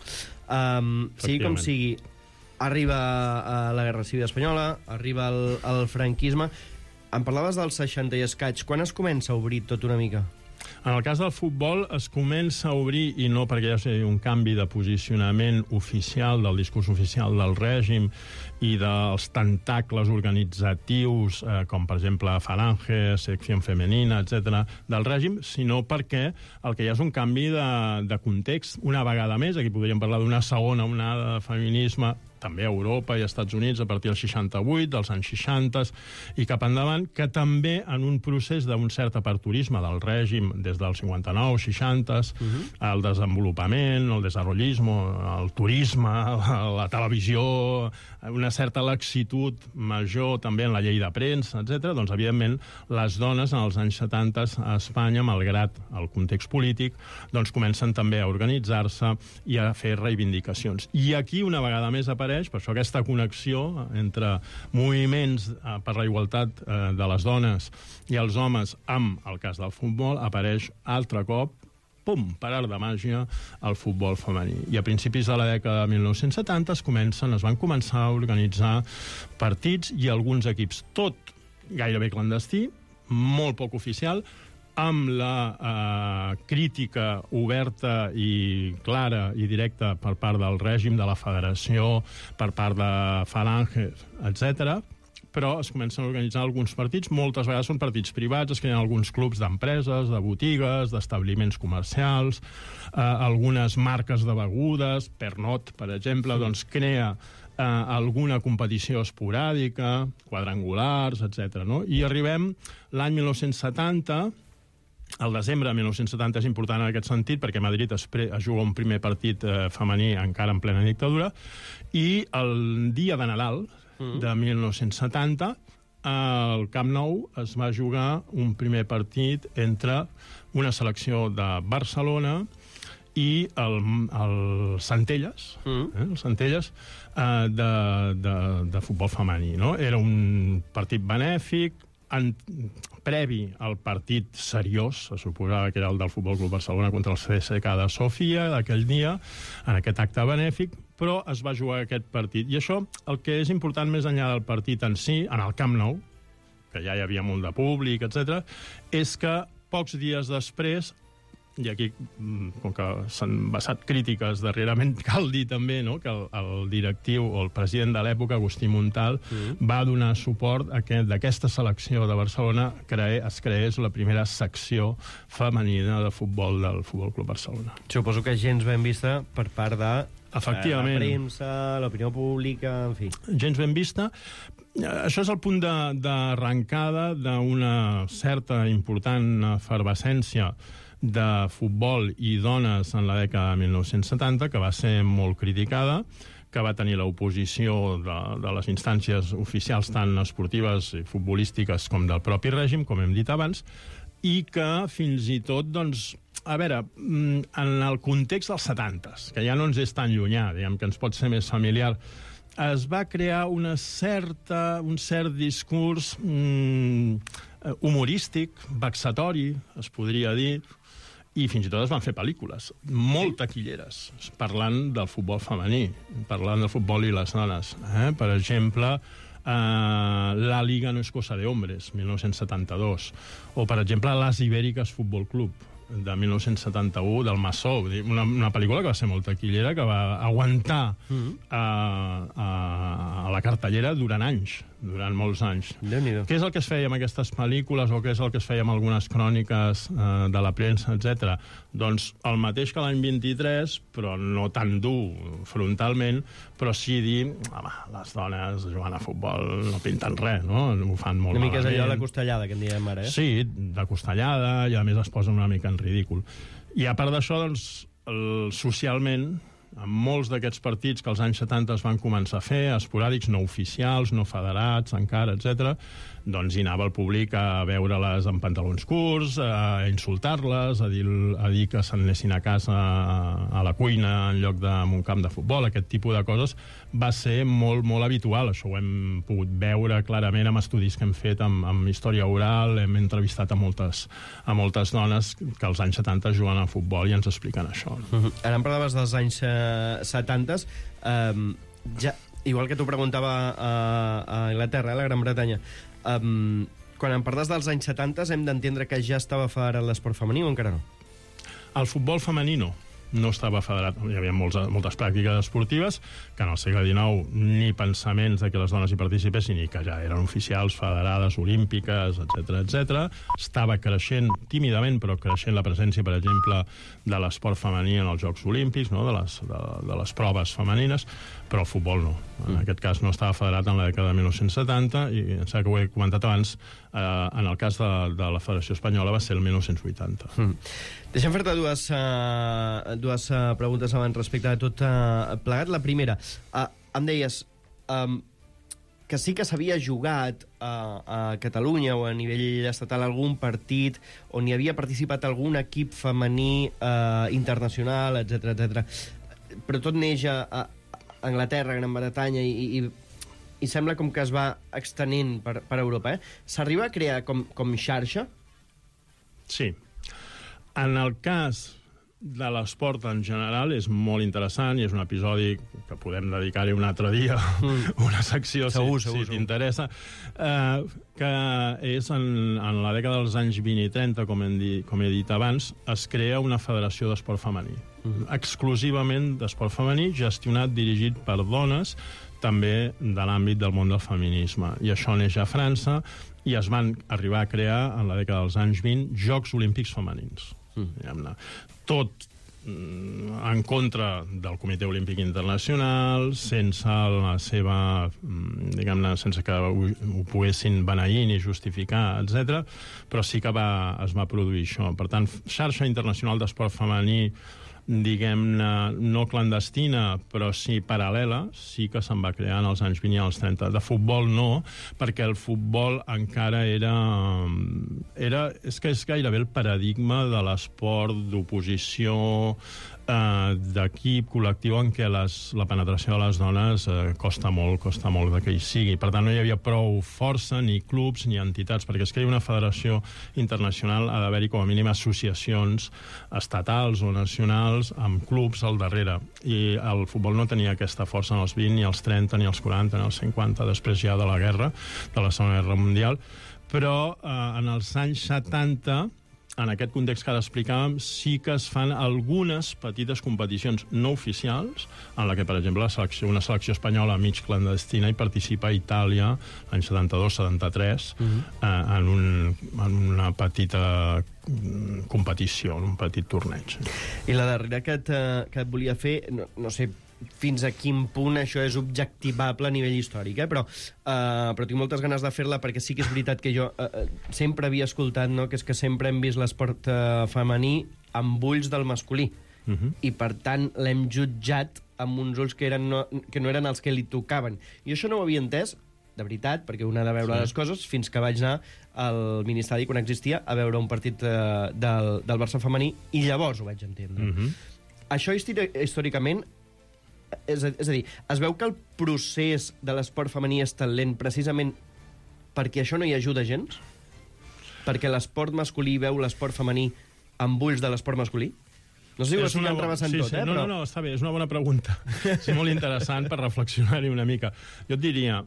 Um, sigui com sigui, arriba a la Guerra Civil Espanyola, arriba el, el franquisme, em parlaves del seixanta i escaig. Quan es comença a obrir tot una mica? En el cas del futbol es comença a obrir, i no perquè hi hagi un canvi de posicionament oficial, del discurs oficial del règim i dels tentacles organitzatius, eh, com per exemple Falange, Secció Femenina, etcètera, del règim, sinó perquè el que hi ha és un canvi de, de context. Una vegada més, aquí podríem parlar d'una segona onada de feminisme, també a Europa i als Estats Units a partir del seixanta-vuit, dels anys seixanta i cap endavant, que també en un procés d'un cert aperturisme del règim des del cinquanta-nou, seixanta, uh-huh. el desenvolupament, el desenvolupisme, el turisme, la televisió, una certa laxitud major també en la llei de premsa, etcètera. Doncs, evidentment, les dones en els anys setanta a Espanya, malgrat el context polític, doncs comencen també a organitzar-se i a fer reivindicacions. I aquí, una vegada més, apareix per això aquesta connexió entre moviments per la igualtat de les dones i els homes amb el cas del futbol apareix altre cop, pum, per art de màgia, el futbol femení. I a principis de la dècada de mil nou-cents setanta es comencen, es van començar a organitzar partits i alguns equips, tot gairebé clandestí, molt poc oficial, amb la eh, crítica oberta i clara i directa per part del règim, de la federació, per part de Falange, etcètera, però es comencen a organitzar alguns partits, moltes vegades són partits privats, es creen alguns clubs d'empreses, de botigues, d'establiments comercials, eh, algunes marques de begudes, Pernod, per exemple, doncs crea eh, alguna competició esporàdica, quadrangulars, etcètera. No? I arribem l'any mil nou-cents setanta, el desembre de mil nou-cents setanta és important en aquest sentit perquè Madrid es, pre es juga un primer partit eh, femení encara en plena dictadura i el dia de Nadal mm. de mil nou-cents setanta al Camp Nou es va jugar un primer partit entre una selecció de Barcelona i el, el Centelles, mm. eh, el Centelles eh, de, de, de futbol femení. No? Era un partit benèfic, en, previ al partit seriós, se suposava que era el del Futbol Club Barcelona contra el C S K de Sofia, d'aquell dia, en aquest acte benèfic, però es va jugar aquest partit. I això, el que és important més enllà del partit en si, en el Camp Nou, que ja hi havia molt de públic, etcètera, és que pocs dies després, i aquí, com que s'han basat crítiques darrerament, cal dir també no, que el, el directiu o el president de l'època, Agustí Montal, mm. va donar suport a que d'aquesta selecció de Barcelona cre es creés la primera secció femenina de futbol del Futbol Club Barcelona. Suposo que gens ben vista per part de Efectivament. la premsa, l'opinió pública, en fi. Gens ben vista. Això és el punt d'arrencada d'una certa important efervescència de futbol i dones en la dècada de mil nou-cents setanta, que va ser molt criticada, que va tenir l'oposició de, de les instàncies oficials tant esportives i futbolístiques com del propi règim, com hem dit abans, i que fins i tot, doncs, a veure, en el context dels setantes, que ja no ens és tan llunyà, diguem que ens pot ser més familiar, es va crear una certa, un cert discurs mm, humorístic, vexatori, es podria dir, i fins i tot es van fer pel·lícules, molt taquilleres, parlant del futbol femení, parlant del futbol i les dones. Eh? Per exemple, eh, La Liga no es cosa de hombres, mil nou-cents setanta-dos, o, per exemple, Las Ibéricas Futbol Club, de mil nou-cents setanta-u, del Massó, una, una pel·lícula que va ser molt taquillera, que va aguantar mm-hmm. a, a, a la cartellera durant anys, durant molts anys. Què és el que es feia amb aquestes pel·lícules o què és el que es feia amb algunes cròniques eh, de la premsa, etcètera? Doncs el mateix que l'any vint-i-tres, però no tan dur frontalment, però sí dir, home, les dones jugant a futbol no pinten res, no? Ho fan molt malament. Una mica és allò de la costellada, que en diem ara, eh? Sí, de costellada, i a més es posen una mica en ridícul. I a part d'això, doncs, el, socialment, en molts d'aquests partits que als anys setanta es van començar a fer, esporàdics, no oficials, no federats encara, etcètera, doncs hi anava el públic a veure-les en pantalons curts, a insultar-les, a dir, a dir que se'n anessin a casa a la cuina en lloc d'un camp de futbol. Aquest tipus de coses va ser molt, molt habitual. Això ho hem pogut veure clarament amb estudis que hem fet amb, amb història oral, hem entrevistat a moltes, a moltes dones que als anys setanta juguen a futbol i ens expliquen això. Uh-huh. Ara em parlaves dels anys setanta, um, ja, igual que t'ho preguntava a, a Anglaterra, a la Gran Bretanya, um, quan em parles dels anys setanta hem d'entendre que ja estava federat l'esport femení o encara no? El futbol femení no. No estava federat. Hi havia molts, moltes pràctiques esportives que en el segle dinou ni pensaments de que les dones hi participessin ni que ja eren oficials, federades, olímpiques, etcètera, etcètera. Estava creixent, tímidament, però creixent la presència, per exemple, de l'esport femení en els Jocs Olímpics, no? de, les, de, de les proves femenines, però el futbol no. En aquest cas no estava federat en la dècada de mil nou-cents setanta i em sembla que ho he comentat abans, eh, en el cas de, de la Federació Espanyola va ser el mil nou-cents vuitanta. Mm. Deixa'm fer-te dues, uh, dues uh, preguntes abans respecte a tot uh, plegat. La primera, uh, em deies um, que sí que s'havia jugat uh, a Catalunya o a nivell estatal algun partit on hi havia participat algun equip femení uh, internacional, etcètera, etcètera. Però tot neix a, a Anglaterra, Gran Bretanya i, i, i sembla com que es va extenent per, per Europa. Eh? S'arriba a crear com, com xarxa? Sí. En el cas de l'esport en general és molt interessant i és un episodi que podem dedicar-hi un altre dia, mm. una secció, segur, si, segur, si t'interessa, eh, que és en, en la dècada dels anys vint i trenta, com, hem dit, com he dit abans, es crea una federació d'esport femení, mm. exclusivament d'esport femení, gestionat, dirigit per dones, també de l'àmbit del món del feminisme. I això neix a França i es van arribar a crear, en la dècada dels anys vint, Jocs Olímpics Femenins. Mm. Tot en contra del Comitè Olímpic Internacional, sense la seva, diguem-ne, sense que ho, ho poguessin beneir ni justificar, etcètera, però sí que va, es va produir això. Per tant, xarxa internacional d'esport femení, diguem-ne, no clandestina, però sí paral·lela, sí que se'n va crear en els anys vint i els trenta. De futbol no, perquè el futbol encara era... era és que és gairebé el paradigma de l'esport d'oposició, eh, d'equip col·lectiu en què les, la penetració de les dones eh, costa molt, costa molt de que hi sigui. Per tant, no hi havia prou força, ni clubs, ni entitats, perquè és que hi ha una federació internacional, ha d'haver-hi com a mínim associacions estatals o nacionals amb clubs al darrere, i el futbol no tenia aquesta força en els vint, ni els trenta, ni els quaranta, ni els cinquanta, després ja de la guerra, de la Segona Guerra Mundial, però eh, en els anys setanta, en aquest context que ara explicàvem, sí que es fan algunes petites competicions no oficials, en la que, per exemple, la selecció, una selecció espanyola mig clandestina hi participa a Itàlia l'any setanta-dos setanta-tres, uh-huh. eh, en, un, en una petita competició, un petit torneig. I la darrera que et, que et volia fer, no, no sé fins a quin punt això és objectivable a nivell històric, eh? però, uh, però tinc moltes ganes de fer-la perquè sí que és veritat que jo uh, sempre havia escoltat, no?, que és que sempre hem vist l'esport uh, femení amb ulls del masculí. Uh-huh. I per tant l'hem jutjat amb uns ulls que, eren no, que no eren els que li tocaven. I això no ho havia entès, de veritat, perquè un ha de veure sí. les coses, fins que vaig anar al Ministeri, quan existia, a veure un partit uh, del, del Barça femení, i llavors ho vaig entendre. Uh-huh. Això històricament, és a, és a dir, es veu que el procés de l'esport femení és tan lent precisament perquè això no hi ajuda gens? Perquè l'esport masculí veu l'esport femení amb ulls de l'esport masculí? No sé si ho estic entrevessant sí, tot, sí. eh? No, però... no, no, està bé, és una bona pregunta. És molt interessant per reflexionar-hi una mica. Jo et diria,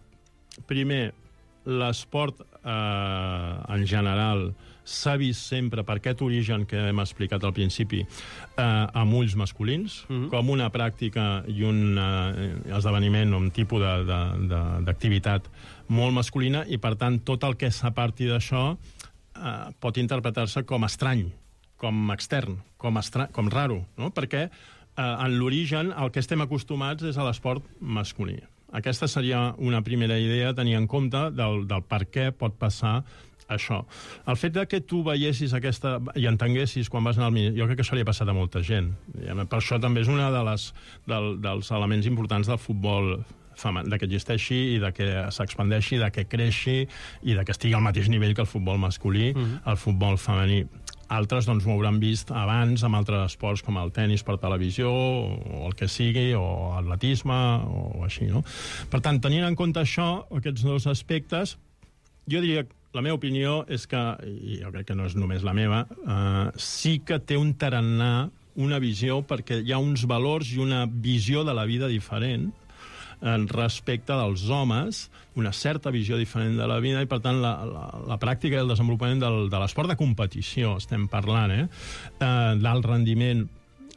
primer, l'esport eh, en general s'ha vist sempre, per aquest origen que hem explicat al principi, eh, amb ulls masculins, uh-huh. com una pràctica i un eh, esdeveniment o un tipus d'activitat molt masculina, i per tant tot el que s'aparti d'això eh, pot interpretar-se com estrany, com extern, com, estra... com raro, no? Perquè eh, en l'origen el que estem acostumats és a l'esport masculí. Aquesta seria una primera idea a tenir en compte del, del per què pot passar això. El fet de que tu veiessis aquesta i entenguessis quan vas anar al Ministeri, jo crec que això li ha passat a molta gent. Per això també és un de les, del, dels elements importants del futbol femení, de que existeixi i de que s'expandeixi, de que creixi i de que estigui al mateix nivell que el futbol masculí, uh-huh. el futbol femení. Altres doncs, ho hauran vist abans amb altres esports com el tennis per televisió o el que sigui, o atletisme o així, no? Per tant, tenint en compte això, aquests dos aspectes, jo diria que la meva opinió és que, i jo crec que no és només la meva, eh, sí que té un tarannà, una visió, perquè hi ha uns valors i una visió de la vida diferent respecte dels homes, una certa visió diferent de la vida, i per tant la, la, la pràctica i el desenvolupament del, de l'esport de competició, estem parlant, eh? eh d'alt rendiment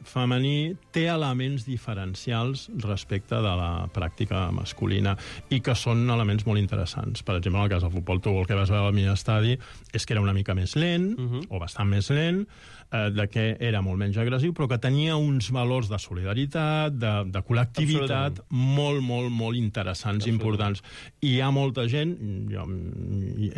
femení, té elements diferencials respecte de la pràctica masculina i que són elements molt interessants. Per exemple, en el cas del futbol, tu el que vas veure al mini-estadi és que era una mica més lent, uh -huh. o bastant més lent, eh, de que era molt menys agressiu, però que tenia uns valors de solidaritat, de, de col·lectivitat, molt, molt, molt interessants i importants. I hi ha molta gent, jo,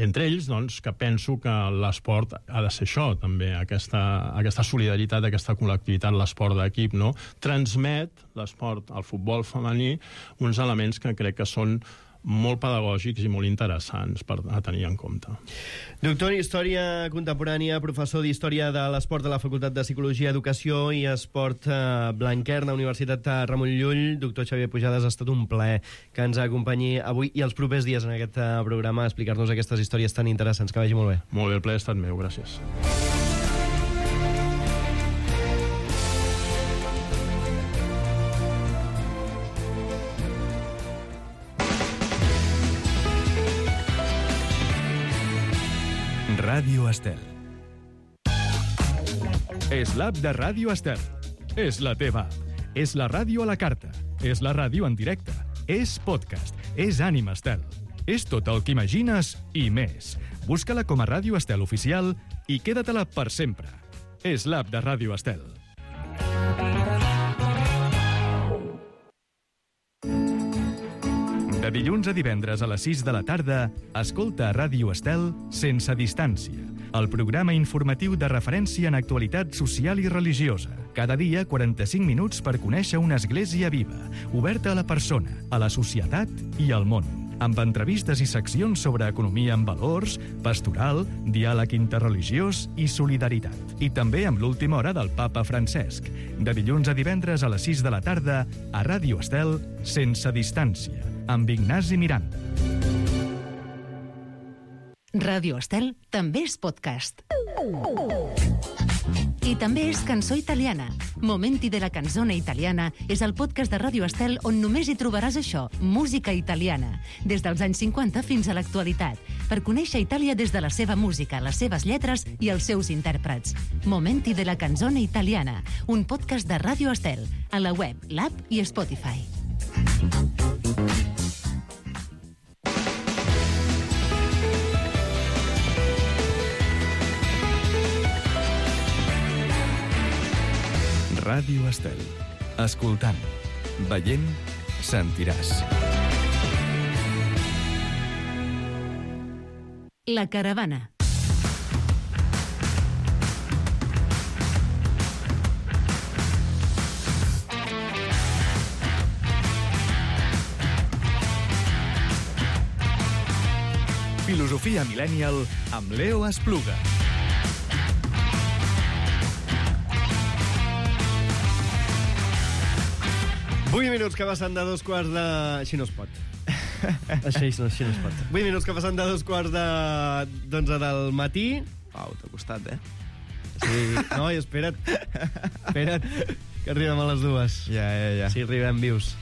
entre ells, doncs, que penso que l'esport ha de ser això, també, aquesta, aquesta solidaritat, aquesta col·lectivitat, l'esport d'equip, no? Transmet l'esport, el futbol femení, uns elements que crec que són molt pedagògics i molt interessants per a tenir en compte. Doctor en Història Contemporània, professor d'Història de l'Esport de la Facultat de Psicologia, Educació i Esport eh, Blanquerna, Universitat Ramon Llull. Doctor Xavier Pujades, ha estat un plaer que ens acompanyi avui i els propers dies en aquest eh, programa a explicar-nos aquestes històries tan interessants. Que vagi molt bé. Molt bé, el plaer ha estat meu, gràcies. Ràdio Estel. És l'app de Ràdio Estel. És la teva. És la ràdio a la carta. És la ràdio en directe. És podcast. És Ànima Estel. És tot el que imagines i més. Busca-la com a Ràdio Estel Oficial i queda-te-la per sempre. És l'app de Ràdio Estel. De dilluns a divendres a les sis de la tarda, escolta a Ràdio Estel Sense Distància, el programa informatiu de referència en actualitat social i religiosa. Cada dia, quaranta-cinc minuts per conèixer una església viva, oberta a la persona, a la societat i al món, amb entrevistes i seccions sobre economia en valors, pastoral, diàleg interreligiós i solidaritat. I també amb l'última hora del papa Francesc. De dilluns a divendres a les sis de la tarda, a Ràdio Estel Sense Distància, amb Ignasi Miranda. Ràdio Estel també és podcast. I també és cançó italiana. Momenti de la canzone italiana és el podcast de Ràdio Estel on només hi trobaràs això, música italiana, des dels anys cinquanta fins a l'actualitat, per conèixer Itàlia des de la seva música, les seves lletres i els seus intèrprets. Momenti de la canzone italiana, un podcast de Ràdio Estel, a la web, l'app i Spotify. Ràdio Estel. Escoltant, veient, sentiràs. La caravana. Filosofia Millennial amb Leo Espluga. vuit minuts que passen de dos quarts de... Així no es pot. Així no, així no es pot. vuit minuts que passen de dos quarts de... d'onze del matí. Pau, t'ha costat, eh? Sí. No, i espera't. Espera't, que arribem a les dues. Ja, ja, ja. Sí, arribem vius.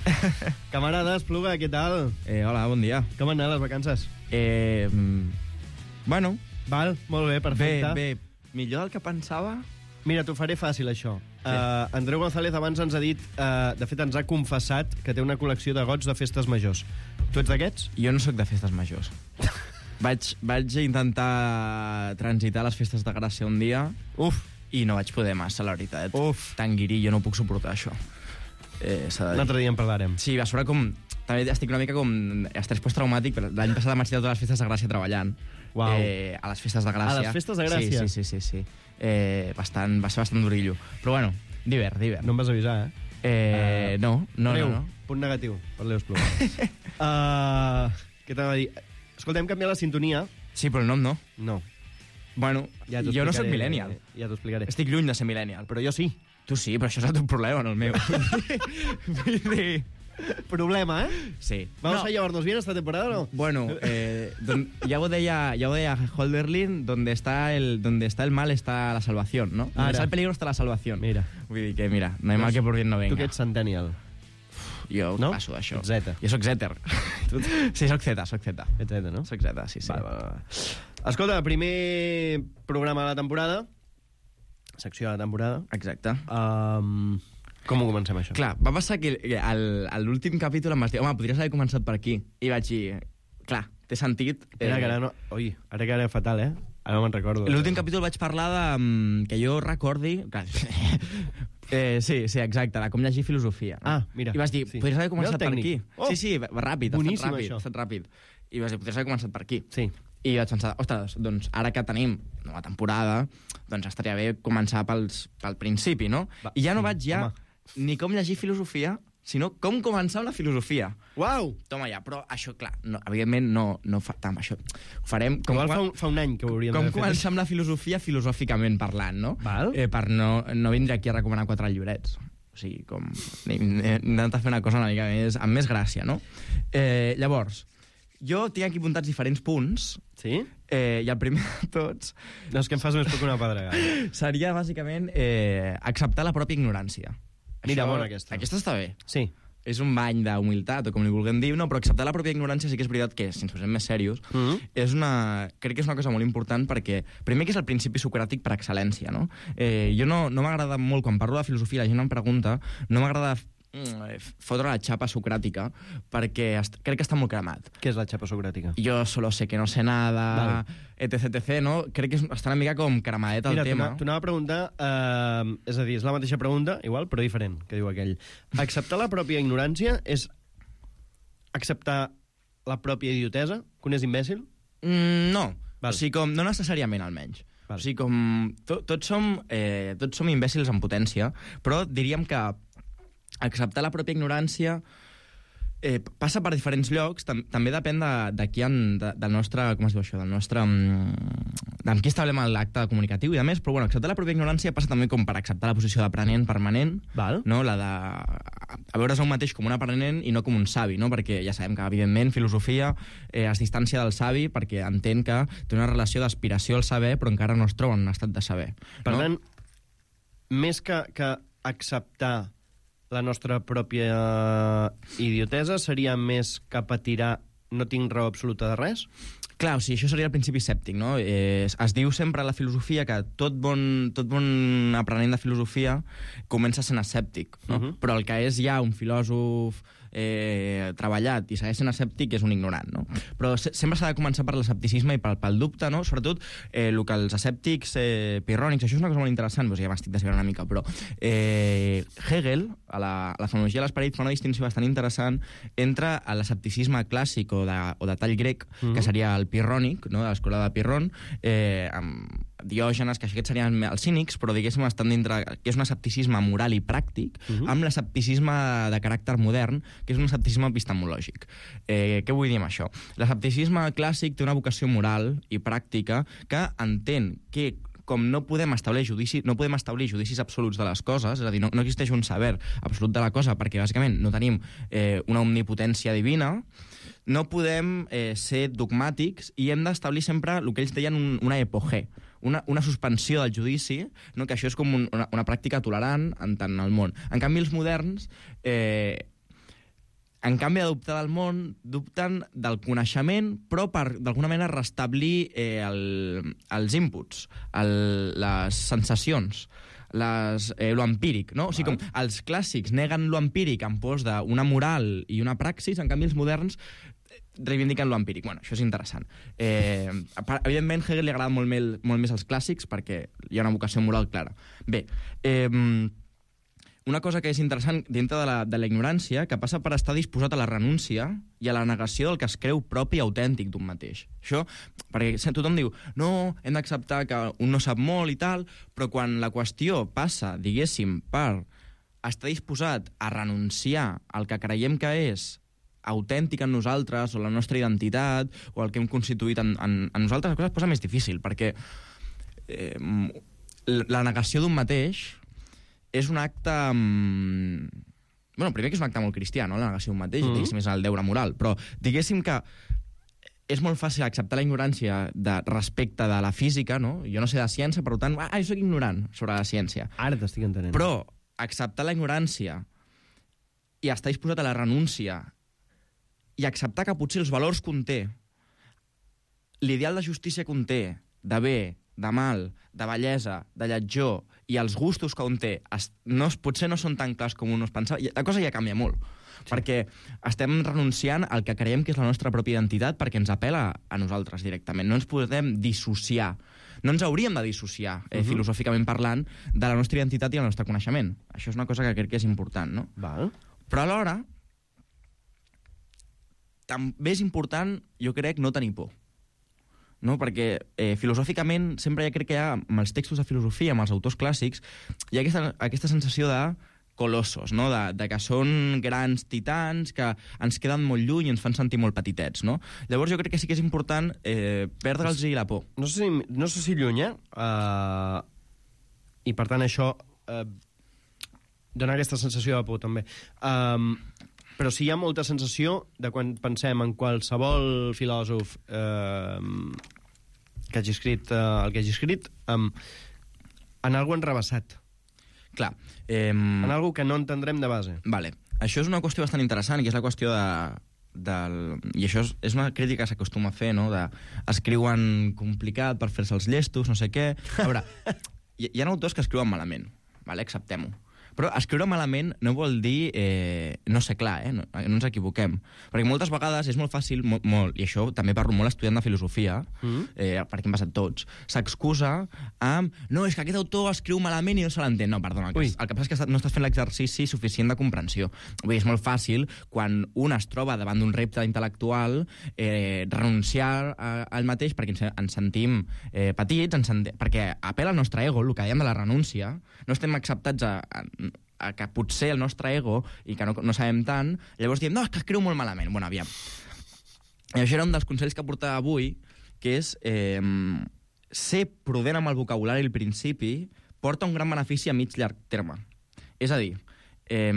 Camarada Espluga, què tal? Eh, hola, bon dia. Com han anat les vacances? Eh, mm, bueno. Val, molt bé, perfecte. Bé, bé. Millor del que pensava. Mira, t'ho faré fàcil, això. Sí. Uh, Andreu González abans ens ha dit, uh, de fet ens ha confessat que té una col·lecció de gots de festes majors. Tu ets d'aquests? Jo no sóc de festes majors. vaig, vaig intentar transitar les festes de Gràcia un dia. Uf. I no vaig poder massa, la veritat. Uf. Tan guirí, jo no puc suportar això. Eh, Un altre dia en parlarem. Sí, a sobre com... També estic una mica com estrès posttraumàtic, però l'any passat vaig estar totes les festes de Gràcia treballant. Uau. Eh, a les festes de Gràcia. A les festes de Gràcia? Sí, sí, sí, sí, sí. Eh, bastant, va ser bastant durillo. Però bueno, divert, divert. No em vas avisar, eh? Eh, uh, no, no, Leo, no, no. Punt negatiu per Leo Espluga. uh, què t'anava a dir? Escolta, hem canviat la sintonia. Sí, però el nom no. No. Bueno, ja jo no soc millennial. Ja t'ho explicaré. Estic lluny de ser millennial. Però jo sí. Tu sí, però això és el teu problema, no el meu. Vull dir... Problema, ¿eh? Sí. ¿Vamos no. a llevarnos bien esta temporada o no? Bueno, eh, don, ya voy de ya, ya voy de Holderlin, donde está el donde está el mal está la salvación, ¿no? Donde Ara. está el peligro está la salvación. Mira. Vull dir que, mira, no hay mal que por bien no venga. Tu que ets centennial. jo no? passo d'això. Ets zeta. Jo soc zèter. Sí, soc zeta, soc zeta. Ets zeta, no? Soc zeta, sí, sí. Va, va, va. Escolta, primer programa de la temporada, secció de la temporada. Exacte. Um, com ho comencem, això? Clar, va passar que al- a l'últim capítol em vas dir, home, podries haver començat per aquí. I vaig dir, clar, té sentit. Era que ara no... Ui, ara que era fatal, eh? Ara no me'n recordo. L'últim capítol vaig parlar de... mm, que jo recordi... Clar, eh, sí, sí, exacte, de com llegir filosofia. No? Ah, mira, I vas dir, sí. podries haver començat Mira el per aquí. tècnic. Oh, sí, sí, ràpid, ha boníssim, estat ràpid, això. ha estat ràpid. I vas dir, podries haver començat per aquí. Sí. I vaig pensar, ostres, doncs ara que tenim nova temporada, doncs estaria bé començar pels, pel principi, no? Va, I ja no sí, vaig ja home. ni com llegir filosofia, sinó com començar amb la filosofia. Uau! Toma ja, però això, clar, no, evidentment no, no fa tant això. Ho farem com, Igual fa quan- un, fa un any que ho hauríem com d'haver fet. començar amb la filosofia filosòficament parlant, no? Val. Eh, per no, no vindre aquí a recomanar quatre llibrets. O sigui, com... He intentat fer una cosa una mica més... amb més gràcia, no? Eh, llavors, jo tinc aquí apuntats diferents punts, Sí? eh, i el primer de tots No, és que em fas més poc que una pedregada. seria, bàsicament, eh, acceptar la pròpia ignorància. Mira, bona aquesta. Aquesta està bé. Sí. És un bany d'humilitat, o com li vulguem dir, no, però acceptar la pròpia ignorància sí que és veritat que, si ens posem més serios, Mhm. és una, crec que és una cosa molt important perquè, primer, que és el principi socràtic per excel·lència, no? Eh, jo no, no m'agrada molt, quan parlo de filosofia, la gent em pregunta, no m'agrada mm, fotre la xapa socràtica perquè est crec que està molt cremat. Què és la xapa socràtica? Jo solo sé que no sé nada, Vale. etc, etc, no? Crec que és, està una mica com cremadet el Mira, tema. t'ho anava a preguntar, eh, és a dir, és la mateixa pregunta, igual, però diferent, que diu aquell. Acceptar la pròpia ignorància és acceptar la pròpia idiotesa, que un és imbècil? Mm, no. Val. O sigui, com, no necessàriament, almenys. Val. O sigui, com... To, tots, som, eh, tots som imbècils en potència, però diríem que acceptar la pròpia ignorància eh, passa per diferents llocs, tam també depèn de, de qui han, de, del nostre, com es diu això, del nostre... Mm, amb qui establem l'acte comunicatiu i de més, però bueno, acceptar la pròpia ignorància passa també com per acceptar la posició d'aprenent permanent, Val. no? La de a veure's a un mateix com un aprenent i no com un savi, no? Perquè ja sabem que, evidentment, filosofia eh, es distància del savi perquè entén que té una relació d'aspiració al saber, però encara no es troba en un estat de saber. Per no? tant, més que, que acceptar la nostra pròpia idiotesa, seria més cap a tirar no tinc raó absoluta de res? Clar, o sigui, això seria el principi escèptic, no? Eh, es, es diu sempre a la filosofia que tot bon, tot bon aprenent de filosofia comença sent escèptic, no? Uh-huh. Però el que és ja un filòsof eh, treballat i segueix sent escèptic és un ignorant, no? Però se sempre s'ha de començar per l'escepticisme i pel, pel dubte, no? Sobretot eh, el que els escèptics eh, pirrònics, això és una cosa molt interessant, doncs ja m'estic desviant una mica, però eh, Hegel, a la, a la fenomenologia de l'esperit, fa una distinció bastant interessant entre l'escepticisme clàssic o de, o de tall grec, Mhm. que seria el pirrònic, no? De l'escola de Pirron, eh, amb Diògenes, que aquests serien els cínics, però diguéssim estan dintre, que és un escepticisme moral i pràctic, Mhm. amb l'escepticisme de caràcter modern, que és un escepticisme epistemològic. Eh, què vull dir amb això? L'escepticisme clàssic té una vocació moral i pràctica que entén que com no podem establir judicis, no podem establir judicis absoluts de les coses, és a dir, no, no existeix un saber absolut de la cosa, perquè bàsicament no tenim eh, una omnipotència divina, no podem eh, ser dogmàtics i hem d'establir sempre el que ells deien un, una epogé, una, una suspensió del judici, no? Que això és com un, una, una pràctica tolerant en tant el món. En canvi, els moderns, eh, en canvi de dubtar del món, dubten del coneixement, però per, d'alguna manera, restablir eh, el, els inputs, el, les sensacions, les, eh, lo empíric, no? O sigui, com els clàssics neguen lo empíric en pos d'una moral i una praxis, en canvi els moderns reivindiquen lo empíric. Bueno, això és interessant. Eh, evidentment, Hegel li agrada molt, mel, molt més als clàssics perquè hi ha una vocació moral clara. Bé, eh, una cosa que és interessant dintre de la, de la ignorància, que passa per estar disposat a la renúncia i a la negació del que es creu propi i autèntic d'un mateix. Això, perquè tothom diu, no, hem d'acceptar que un no sap molt i tal, però quan la qüestió passa, diguéssim, per estar disposat a renunciar al que creiem que és autèntic en nosaltres, o la nostra identitat, o el que hem constituït en, en, en nosaltres, la cosa es posa més difícil, perquè eh, la negació d'un mateix és un acte... Mmm... Bueno, primer que és un acte molt cristià, no?, la negació d'un mateix, mm-hmm. diguéssim, és el deure moral, però diguéssim que és molt fàcil acceptar la ignorància de, respecte de la física, no? Jo no sé de ciència, per tant, ah, jo soc ignorant sobre la ciència. Ara t'estic entenent. Però acceptar la ignorància i estar disposat a la renúncia i acceptar que potser els valors conté, l'ideal de justícia conté, de bé, de mal, de bellesa, de lletjor, i els gustos que un té no, potser no són tan clars com un es pensava, la cosa ja canvia molt. Sí. Perquè estem renunciant al que creiem que és la nostra pròpia identitat perquè ens apela a nosaltres directament. No ens podem dissociar. No ens hauríem de dissociar, eh, uh-huh. filosòficament parlant, de la nostra identitat i el nostre coneixement. Això és una cosa que crec que és important, no? Val. Però alhora, també és important, jo crec, no tenir por. No? Perquè eh, filosòficament sempre ja crec que hi ha, amb els textos de filosofia, amb els autors clàssics, hi ha aquesta, aquesta sensació de colossos, no? de, de que són grans titans, que ens queden molt lluny i ens fan sentir molt petitets. No? Llavors jo crec que sí que és important eh, perdre'ls la por. No sé si, no sé si lluny, eh? Uh, i per tant això uh, dona aquesta sensació de por també. Um, però sí hi ha molta sensació de quan pensem en qualsevol filòsof eh, que hagi escrit eh, el que hagi escrit, um, en algú enrebaçat. Clar. Eh, en algú que no entendrem de base. Vale. Això és una qüestió bastant interessant, i és la qüestió de... Del... I això és, és una crítica que s'acostuma a fer, no? De... Escriuen complicat per fer-se els llestos, no sé què... A veure, hi, hi ha autors que escriuen malament, vale? Acceptem-ho. Però escriure malament no vol dir eh, no ser clar, eh? no, no ens equivoquem. Perquè moltes vegades és molt fàcil, molt, molt, i això també parlo molt estudiant de filosofia, mm. eh, perquè hem passat tots, s'excusa amb no, és que aquest autor escriu malament i no se l'entén. No, perdona, el que, el que passa és que no estàs fent l'exercici suficient de comprensió. Vull dir, és molt fàcil, quan un es troba davant d'un repte intel·lectual, eh, renunciar a, al mateix perquè ens, ens sentim eh, petits, ens sentim, perquè apela al nostre ego, el que dèiem de la renúncia, no estem acceptats a, a a que potser el nostre ego, i que no, no sabem tant, llavors diem, no, és que escriu molt malament. Bueno, aviam. I això era un dels consells que portava avui, que és eh, ser prudent amb el vocabulari al principi porta un gran benefici a mig llarg terme. És a dir, eh,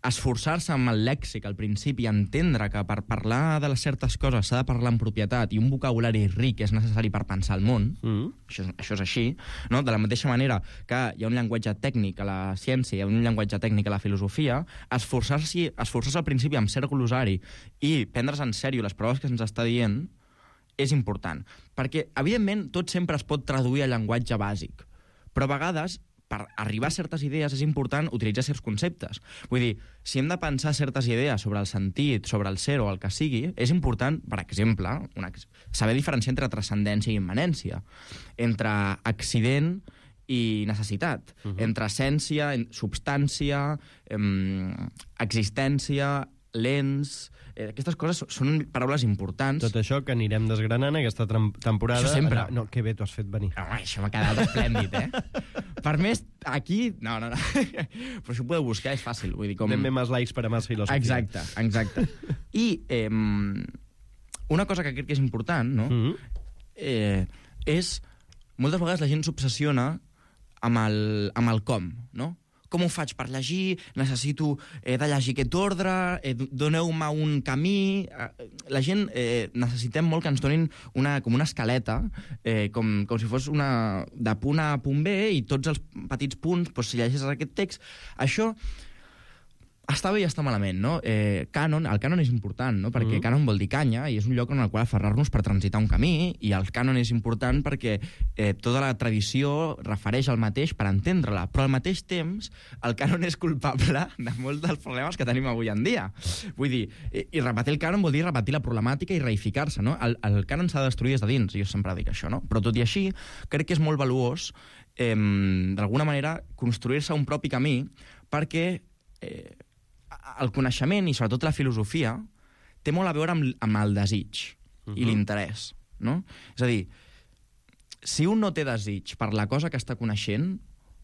esforçar-se amb el lèxic al principi, entendre que per parlar de les certes coses s'ha de parlar en propietat i un vocabulari ric és necessari per pensar el món, mm. això, això és així, no? De la mateixa manera que hi ha un llenguatge tècnic a la ciència, hi ha un llenguatge tècnic a la filosofia, esforçar-se esforçar al principi amb cert glosari i prendre's en sèrio les proves que ens està dient és important. Perquè, evidentment, tot sempre es pot traduir a llenguatge bàsic, però a vegades per arribar a certes idees és important utilitzar certs conceptes. Vull dir, si hem de pensar certes idees sobre el sentit, sobre el ser o el que sigui, és important, per exemple, una, saber diferenciar entre transcendència i immanència, entre accident i necessitat, uh-huh. entre essència, substància, eh, existència, lents... Eh, aquestes coses són paraules importants. Tot això que anirem desgranant aquesta temporada... Això sempre. No, que bé t'ho has fet venir. Home, això m'ha quedat esplèndid, eh? Per més, aquí... No, no, no. Però això ho podeu buscar, és fàcil. Vull dir, com... Anem més likes per a més filosofia. Exacte, exacte. I eh, una cosa que crec que és important, no? Mm-hmm. eh, és... Moltes vegades la gent s'obsessiona amb el, amb el com, no? Com ho faig per llegir? Necessito eh, de llegir aquest ordre? Eh, doneu-me un camí? Eh, la gent eh, necessitem molt que ens donin una, com una escaleta, eh, com, com si fos una, de punt A a punt B, i tots els petits punts, doncs, si llegeixes aquest text... Això està bé i està malament, no? Eh, cànon, el cànon és important, no? Perquè mm. cànon vol dir canya, i és un lloc en el qual aferrar-nos per transitar un camí, i el cànon és important perquè eh, tota la tradició refereix al mateix per entendre-la, però al mateix temps el cànon és culpable de molts dels problemes que tenim avui en dia. Vull dir, i, i repetir el cànon vol dir repetir la problemàtica i reificar-se, no? El, el cànon s'ha de destruir des de dins, jo sempre dic això, no? Però tot i així, crec que és molt valuós eh, d'alguna manera construir-se un propi camí perquè eh, el coneixement, i sobretot la filosofia, té molt a veure amb, amb el desig uh-huh. i l'interès, no? És a dir, si un no té desig per la cosa que està coneixent,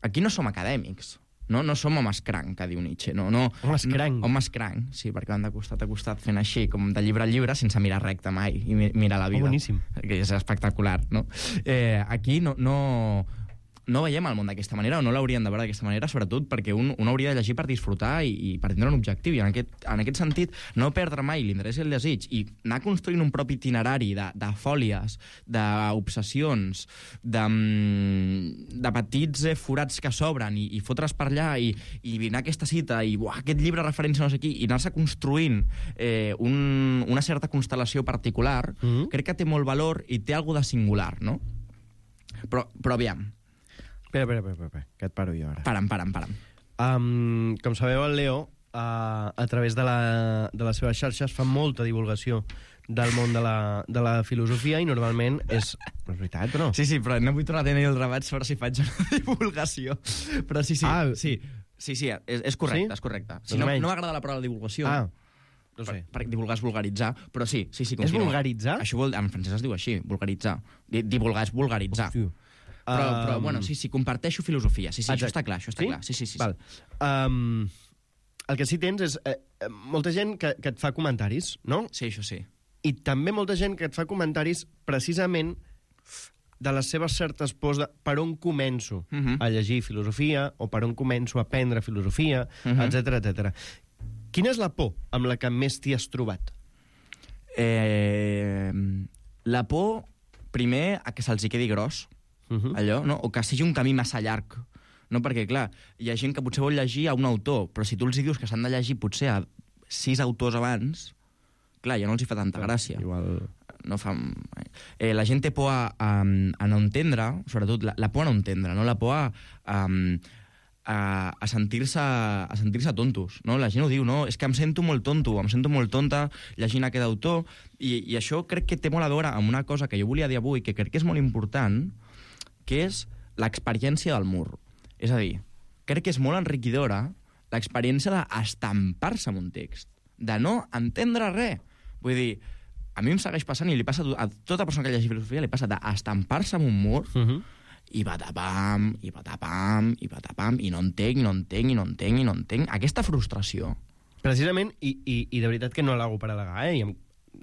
aquí no som acadèmics, no, no som homes cranc, que diu Nietzsche. No, no, homes cranc. No, homes cranc, sí, perquè van de costat a costat fent així, com de llibre a llibre, sense mirar recte mai, i mirar la vida. Oh, boníssim. Que és espectacular, no? Eh, aquí no... no no veiem el món d'aquesta manera o no l'haurien de veure d'aquesta manera, sobretot perquè un, un hauria de llegir per disfrutar i, i per tindre un objectiu. I en aquest, en aquest sentit, no perdre mai l'interès i el desig i anar construint un propi itinerari de, de fòlies, d'obsessions, de, de petits eh, forats que s'obren i, i fotre's per allà i, i anar a aquesta cita i buah, aquest llibre referència no sé qui, i anar-se construint eh, un, una certa constel·lació particular, mm-hmm. crec que té molt valor i té alguna de singular, no? Però, però aviam. Espera, espera, espera, espera, que et paro jo ara. Param, param, param. Um, com sabeu, el Leo, uh, a través de, la, de les seves xarxes, fa molta divulgació del món de la, de la filosofia i normalment és... No és veritat, però no? Sí, sí, però no vull tornar a tenir el debat sobre si faig una divulgació. Però sí, sí, ah, sí, sí, sí és, és correcte, sí? És correcte. Si no, no m'agrada la paraula divulgació... Ah. No sé. Per, per divulgar és vulgaritzar, però sí, sí, sí, continua. És vulgaritzar? Això vol, en francès es diu així, vulgaritzar. Divulgar és vulgaritzar. Hòstia. Però, um... però, bueno, sí, sí, comparteixo filosofia. Sí, sí, Exacte. Això està clar, això està sí? clar. Sí, sí, sí. Val. Um, el que sí tens és eh, molta gent que, que et fa comentaris, no? Sí, això sí. I també molta gent que et fa comentaris precisament de les seves certes pors de per on començo uh -huh. a llegir filosofia o per on començo a aprendre filosofia, uh -huh. etcètera, etcètera. Quina és la por amb la que més t'hi has trobat? Eh, la por, primer, a que se'ls hi quedi gros, uh-huh. allò, no? O que sigui un camí massa llarg. No? Perquè, clar, hi ha gent que potser vol llegir a un autor, però si tu els hi dius que s'han de llegir potser a sis autors abans, clar, ja no els hi fa tanta gràcia. Igual... No fa... eh, la gent té por a, a, a no entendre, sobretot la, la por a no entendre, no? La por a... a a, a sentir-se a sentir-se tontos, no? La gent ho diu, no? És que em sento molt tonto, em sento molt tonta llegint aquest autor, i, i això crec que té molt a veure amb una cosa que jo volia dir avui, que crec que és molt important, que és l'experiència del mur. És a dir, crec que és molt enriquidora l'experiència d'estampar-se en un text, de no entendre res. Vull dir, a mi em segueix passant, i li passa a tota persona que llegeix filosofia, li passa d'estampar-se en un mur, uh-huh. i patapam, i patapam, i patapam, i no entenc, i no entenc, i no entenc, i no entenc. Aquesta frustració... Precisament, i, i, i de veritat que no l'hago per al·legar, eh? I em,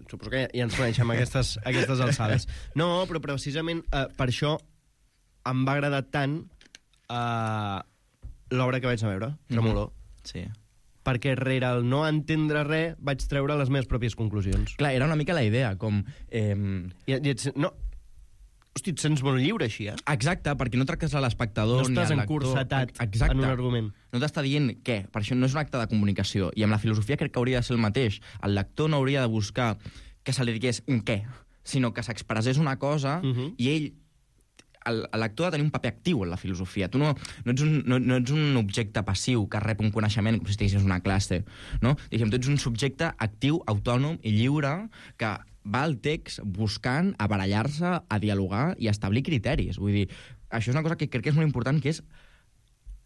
suposo que ja, ja ens coneixem aquestes, aquestes alçades. No, però precisament eh, per això em va agradar tant eh, l'obra que vaig a veure, Tremolor. Mm-hmm. Sí. Perquè rere el no entendre res vaig treure les meves pròpies conclusions. Clar, era una mica la idea, com... Eh... I, i ets, no... Hosti, et sents molt lliure, així, eh? Exacte, perquè no tractes a l'espectador no ni al lector. No estàs encursetat en un argument. No t'està dient què, per això no és un acte de comunicació. I amb la filosofia crec que hauria de ser el mateix. El lector no hauria de buscar que se li digués un què, sinó que s'expressés una cosa uh-huh. i ell... El, el lector ha de tenir un paper actiu en la filosofia. Tu no, no, ets un, no, no ets un objecte passiu que rep un coneixement com si estiguessis una classe, no? Diguem, tu ets un subjecte actiu, autònom i lliure que va al text buscant aparellar-se, a dialogar i a establir criteris. Vull dir, això és una cosa que crec que és molt important, que és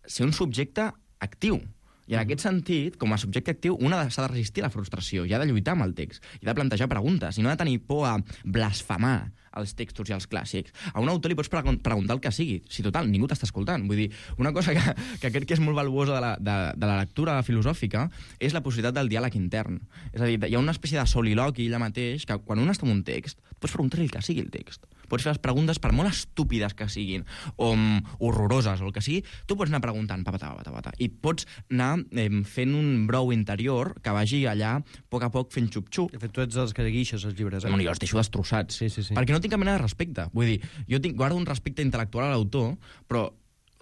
ser un subjecte actiu. I en aquest sentit, com a subjecte actiu, un s'ha de resistir a la frustració i ha de lluitar amb el text, i ha de plantejar preguntes, i no ha de tenir por a blasfemar els textos i els clàssics. A un autor li pots preguntar el que sigui, si total, ningú t'està escoltant. Vull dir, una cosa que, que crec que és molt valuosa de la, de, de la lectura filosòfica és la possibilitat del diàleg intern. És a dir, hi ha una espècie de soliloqui allà mateix que quan un està en un text, pots preguntar-li el que sigui el text. Pots fer les preguntes, per molt estúpides que siguin, o um, horroroses, o el que sigui, tu pots anar preguntant, papata, papata, papata, i pots anar eh, fent un brou interior que vagi allà, a poc a poc, fent xup-xup. De fet, tu ets els que guixes els llibres, eh? Bueno, jo els deixo destrossats. Sí, sí, sí. Perquè no tinc cap mena de respecte. Vull dir, jo tinc, guardo un respecte intel·lectual a l'autor, però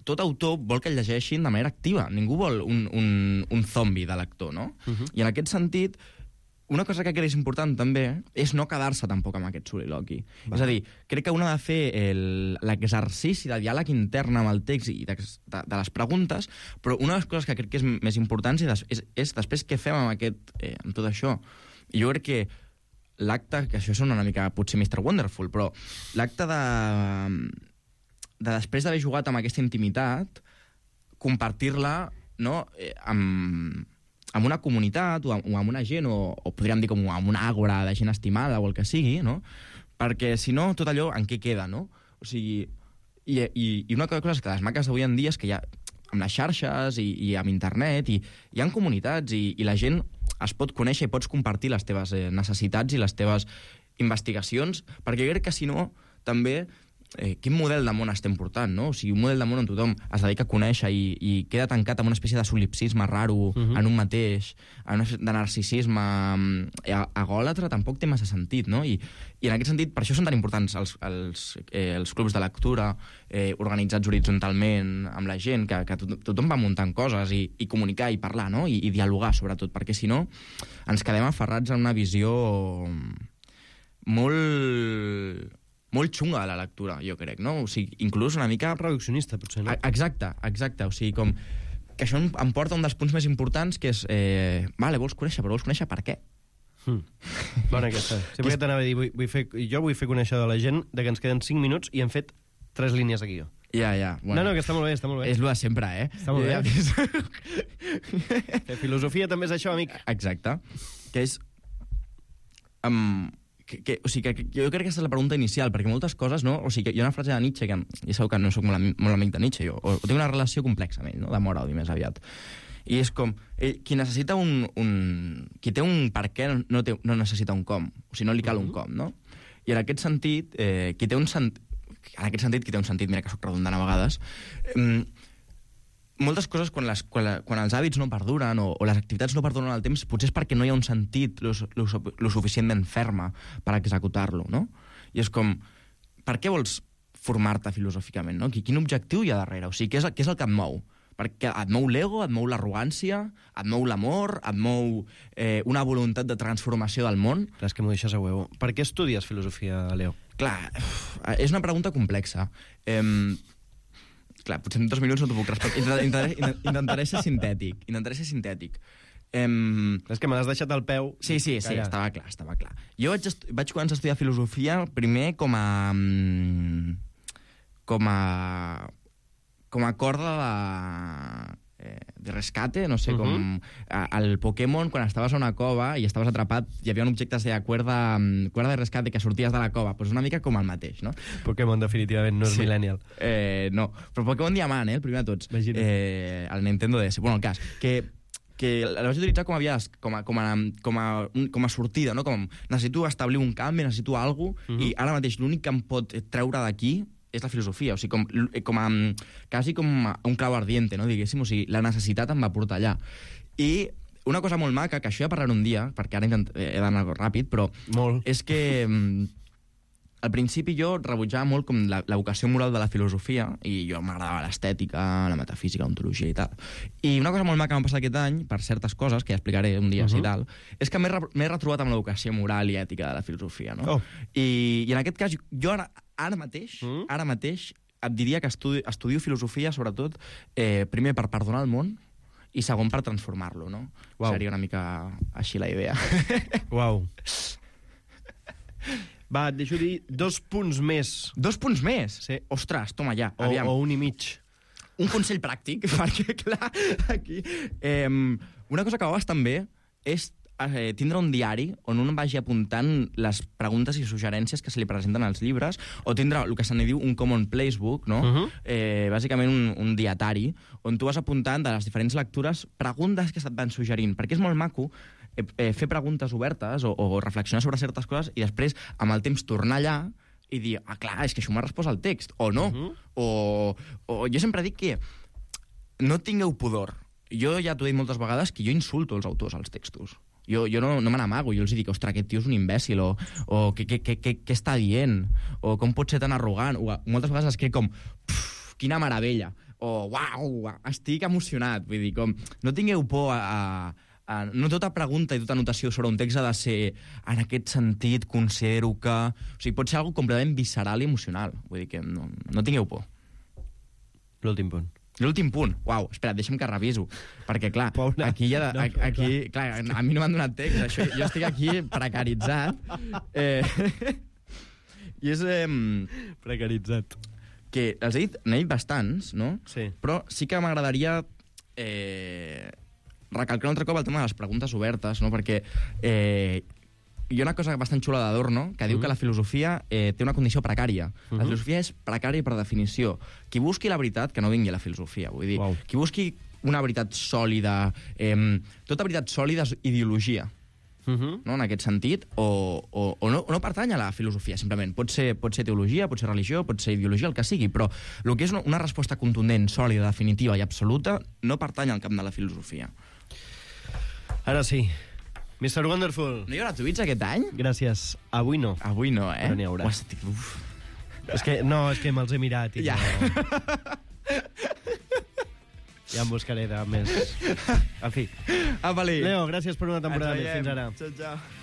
tot autor vol que el llegeixin de manera activa. Ningú vol un, un, un zombi de lector, no? Uh-huh. I en aquest sentit, una cosa que crec que és important també és no quedar-se tampoc amb aquest soliloqui. Va. És a dir, crec que un ha de fer l'exercici de diàleg intern amb el text i de, de, de les preguntes, però una de les coses que crec que és més important és, és, és després què fem amb, aquest, eh, amb tot això. I jo crec que l'acte, que això sona una mica potser mister Wonderful, però l'acte de, de després d'haver jugat amb aquesta intimitat, compartir-la, no?, eh, amb... amb una comunitat o amb, o amb una gent, o, o podríem dir com amb una àgora de gent estimada o el que sigui, no? Perquè, si no, tot allò en què queda, no? O sigui, i, i, i una cosa que les maques d'avui en dia és que hi ha, amb les xarxes i, i amb internet, i hi ha comunitats, i, i la gent es pot conèixer i pots compartir les teves eh, necessitats i les teves investigacions, perquè jo crec que, si no, també eh, quin model de món estem portant, no? O sigui, un model de món on tothom es dedica a conèixer i, i queda tancat amb una espècie de solipsisme raro uh-huh. en un mateix, en una de narcisisme agòlatra, tampoc té massa sentit, no? I, i en aquest sentit, per això són tan importants els, els, eh, els clubs de lectura eh, organitzats horitzontalment amb la gent, que, que to tothom va muntant coses i, i comunicar i parlar, no? I, i dialogar, sobretot, perquè si no ens quedem aferrats en una visió molt, molt xunga de la lectura, jo crec, no? O sigui, inclús una mica... Reduccionista, potser, no? Exacte, exacte. O sigui, com que això em porta un dels punts més importants, que és, eh, vale, vols conèixer, però vols conèixer per què? Hmm. Bona aquesta. Sempre que t'anava a dir, vull, vull fer, jo vull fer conèixer de la gent de que ens queden cinc minuts i hem fet tres línies de guió. Ja, ja. Bueno. No, no, que està molt bé, està molt bé. És el de sempre, eh? Està molt ja, bé. La filosofia també és això, amic. Exacte. Que és... Um, que, que, o sigui, que, que jo crec que aquesta és la pregunta inicial, perquè moltes coses, no? O sigui, que hi ha una frase de Nietzsche, que ja sabeu que no soc molt, molt amic de Nietzsche, jo, o, o tinc una relació complexa amb ell, no? D'amor odi més aviat. I és com, eh, qui necessita un, un... Qui té un per què no, té, no necessita un com. O sigui, no li cal uh-huh. un com, no? I en aquest sentit, eh, qui té un sentit... En aquest sentit, qui té un sentit, mira que soc redundant a vegades, eh, moltes coses, quan, les, quan, la, quan els hàbits no perduren o, o les activitats no perduren al temps, potser és perquè no hi ha un sentit lo, lo, lo suficientment ferma per executar-lo, no? I és com, per què vols formar-te filosòficament, no? Quin objectiu hi ha darrere? O sigui, què és, què és el que et mou? Perquè et mou l'ego, et mou l'arrogància, et mou l'amor, et mou eh, una voluntat de transformació del món. Clar, és que m'ho deixes a huevo. Per què estudies filosofia, Leo? Clar, és una pregunta complexa. Eh, clar, potser en dos minuts no t'ho puc respondre. Intentaré, intentaré ser sintètic. Intentaré ser sintètic. Um, és que me l'has deixat al peu. Sí, sí, sí, callat. estava clar, estava clar. Jo vaig, vaig començar a estudiar filosofia primer com a... com a... com a corda de, eh, de rescate, no sé, uh-huh. com al Pokémon, quan estaves a una cova i estaves atrapat, hi havia un objecte que es deia cuerda, cuerda de rescate, que sorties de la cova, doncs una mica com el mateix, no? Pokémon definitivament no és sí. millennial. Eh, no, però Pokémon Diamant, eh, el primer de tots. Eh, el Nintendo D S. Bueno, el cas, que que la vaig utilitzar com a, vies, com a, com a, com a, com a sortida, no? Com necessito establir un canvi, necessito alguna cosa, uh-huh. i ara mateix l'únic que em pot treure d'aquí és la filosofia, o sigui, com, com a, quasi com un clau ardiente, no, diguéssim, o sigui, la necessitat em va portar allà. I una cosa molt maca, que això ja parlaré un dia, perquè ara he d'anar ràpid, però molt. És que al principi jo rebutjava molt com la, la vocació moral de la filosofia, i jo m'agradava l'estètica, la metafísica, l'ontologia i tal. I una cosa molt maca que m'ha passat aquest any, per certes coses, que ja explicaré un dia, uh-huh. si tal, és que m'he re retrobat amb la vocació moral i ètica de la filosofia, no? Oh. I, I en aquest cas, jo ara, ara mateix, mm? ara mateix, et diria que estudi, estudio filosofia, sobretot, eh, primer per perdonar el món, i segon per transformar-lo, no? Wow. Seria una mica així la idea. Uau. Va, et deixo dir dos punts més. Dos punts més? Sí. Ostres, toma ja, o, aviam. O un i mig. Un consell pràctic, perquè, clar, aquí... Eh, una cosa que va bastant bé és eh, tindre un diari on un vagi apuntant les preguntes i suggerències que se li presenten als llibres, o tindre el que se n'hi diu un common place book, no? Uh-huh. eh, bàsicament un, un dietari, on tu vas apuntant de les diferents lectures preguntes que se't van suggerint, perquè és molt maco eh, eh, fer preguntes obertes o, o reflexionar sobre certes coses i després, amb el temps, tornar allà i dir, ah, clar, és que això m'ha respost al text, o no. Uh-huh. o, o jo sempre dic que no tingueu pudor. Jo ja t'ho he dit moltes vegades que jo insulto els autors als textos. Jo, jo no, no me n'amago, jo els dic, ostres, aquest tio és un imbècil, o, o què, què, què, què està dient, o com pot ser tan arrogant, o moltes vegades escric com, quina meravella, o uau, estic emocionat, vull dir, com, no tingueu por a... a Uh, no tota pregunta i tota anotació sobre un text ha de ser en aquest sentit, considero que... O sigui, pot ser algo completament visceral i emocional. Vull dir que no, no tingueu por. L'últim punt. L'últim punt. Uau, espera, deixa'm que reviso. Perquè, clar, Paula, aquí ja... no, aquí, aquí, clar, a mi no m'han donat text, això, jo estic aquí precaritzat. Eh, I és... Eh, precaritzat. Que els he dit, n'he dit bastants, no? Sí. Però sí que m'agradaria... Eh, recalcar un altre cop el tema de les preguntes obertes, no? Perquè eh, hi ha una cosa bastant xula d'Adorno que diu uh-huh. que la filosofia eh, té una condició precària. Uh-huh. La filosofia és precària per definició. Qui busqui la veritat, que no vingui a la filosofia. Vull dir, wow. Qui busqui una veritat sòlida... Eh, tota veritat sòlida és ideologia. Uh-huh. no, en aquest sentit, o, o, o, no, o no pertany a la filosofia, simplement. Pot ser, pot ser teologia, pot ser religió, pot ser ideologia, el que sigui, però el que és una, una resposta contundent, sòlida, definitiva i absoluta no pertany al camp de la filosofia. Ara sí. mister Wonderful. No hi haurà tuits aquest any? Gràcies. Avui no. Avui no, eh? Però n'hi haurà. Uf, uf. És que, no, és que me'ls he mirat i Ja. no... Ja em buscaré de més... En fi. Apa, Leo, gràcies per una temporada més. Fins ara. Ciao, ciao.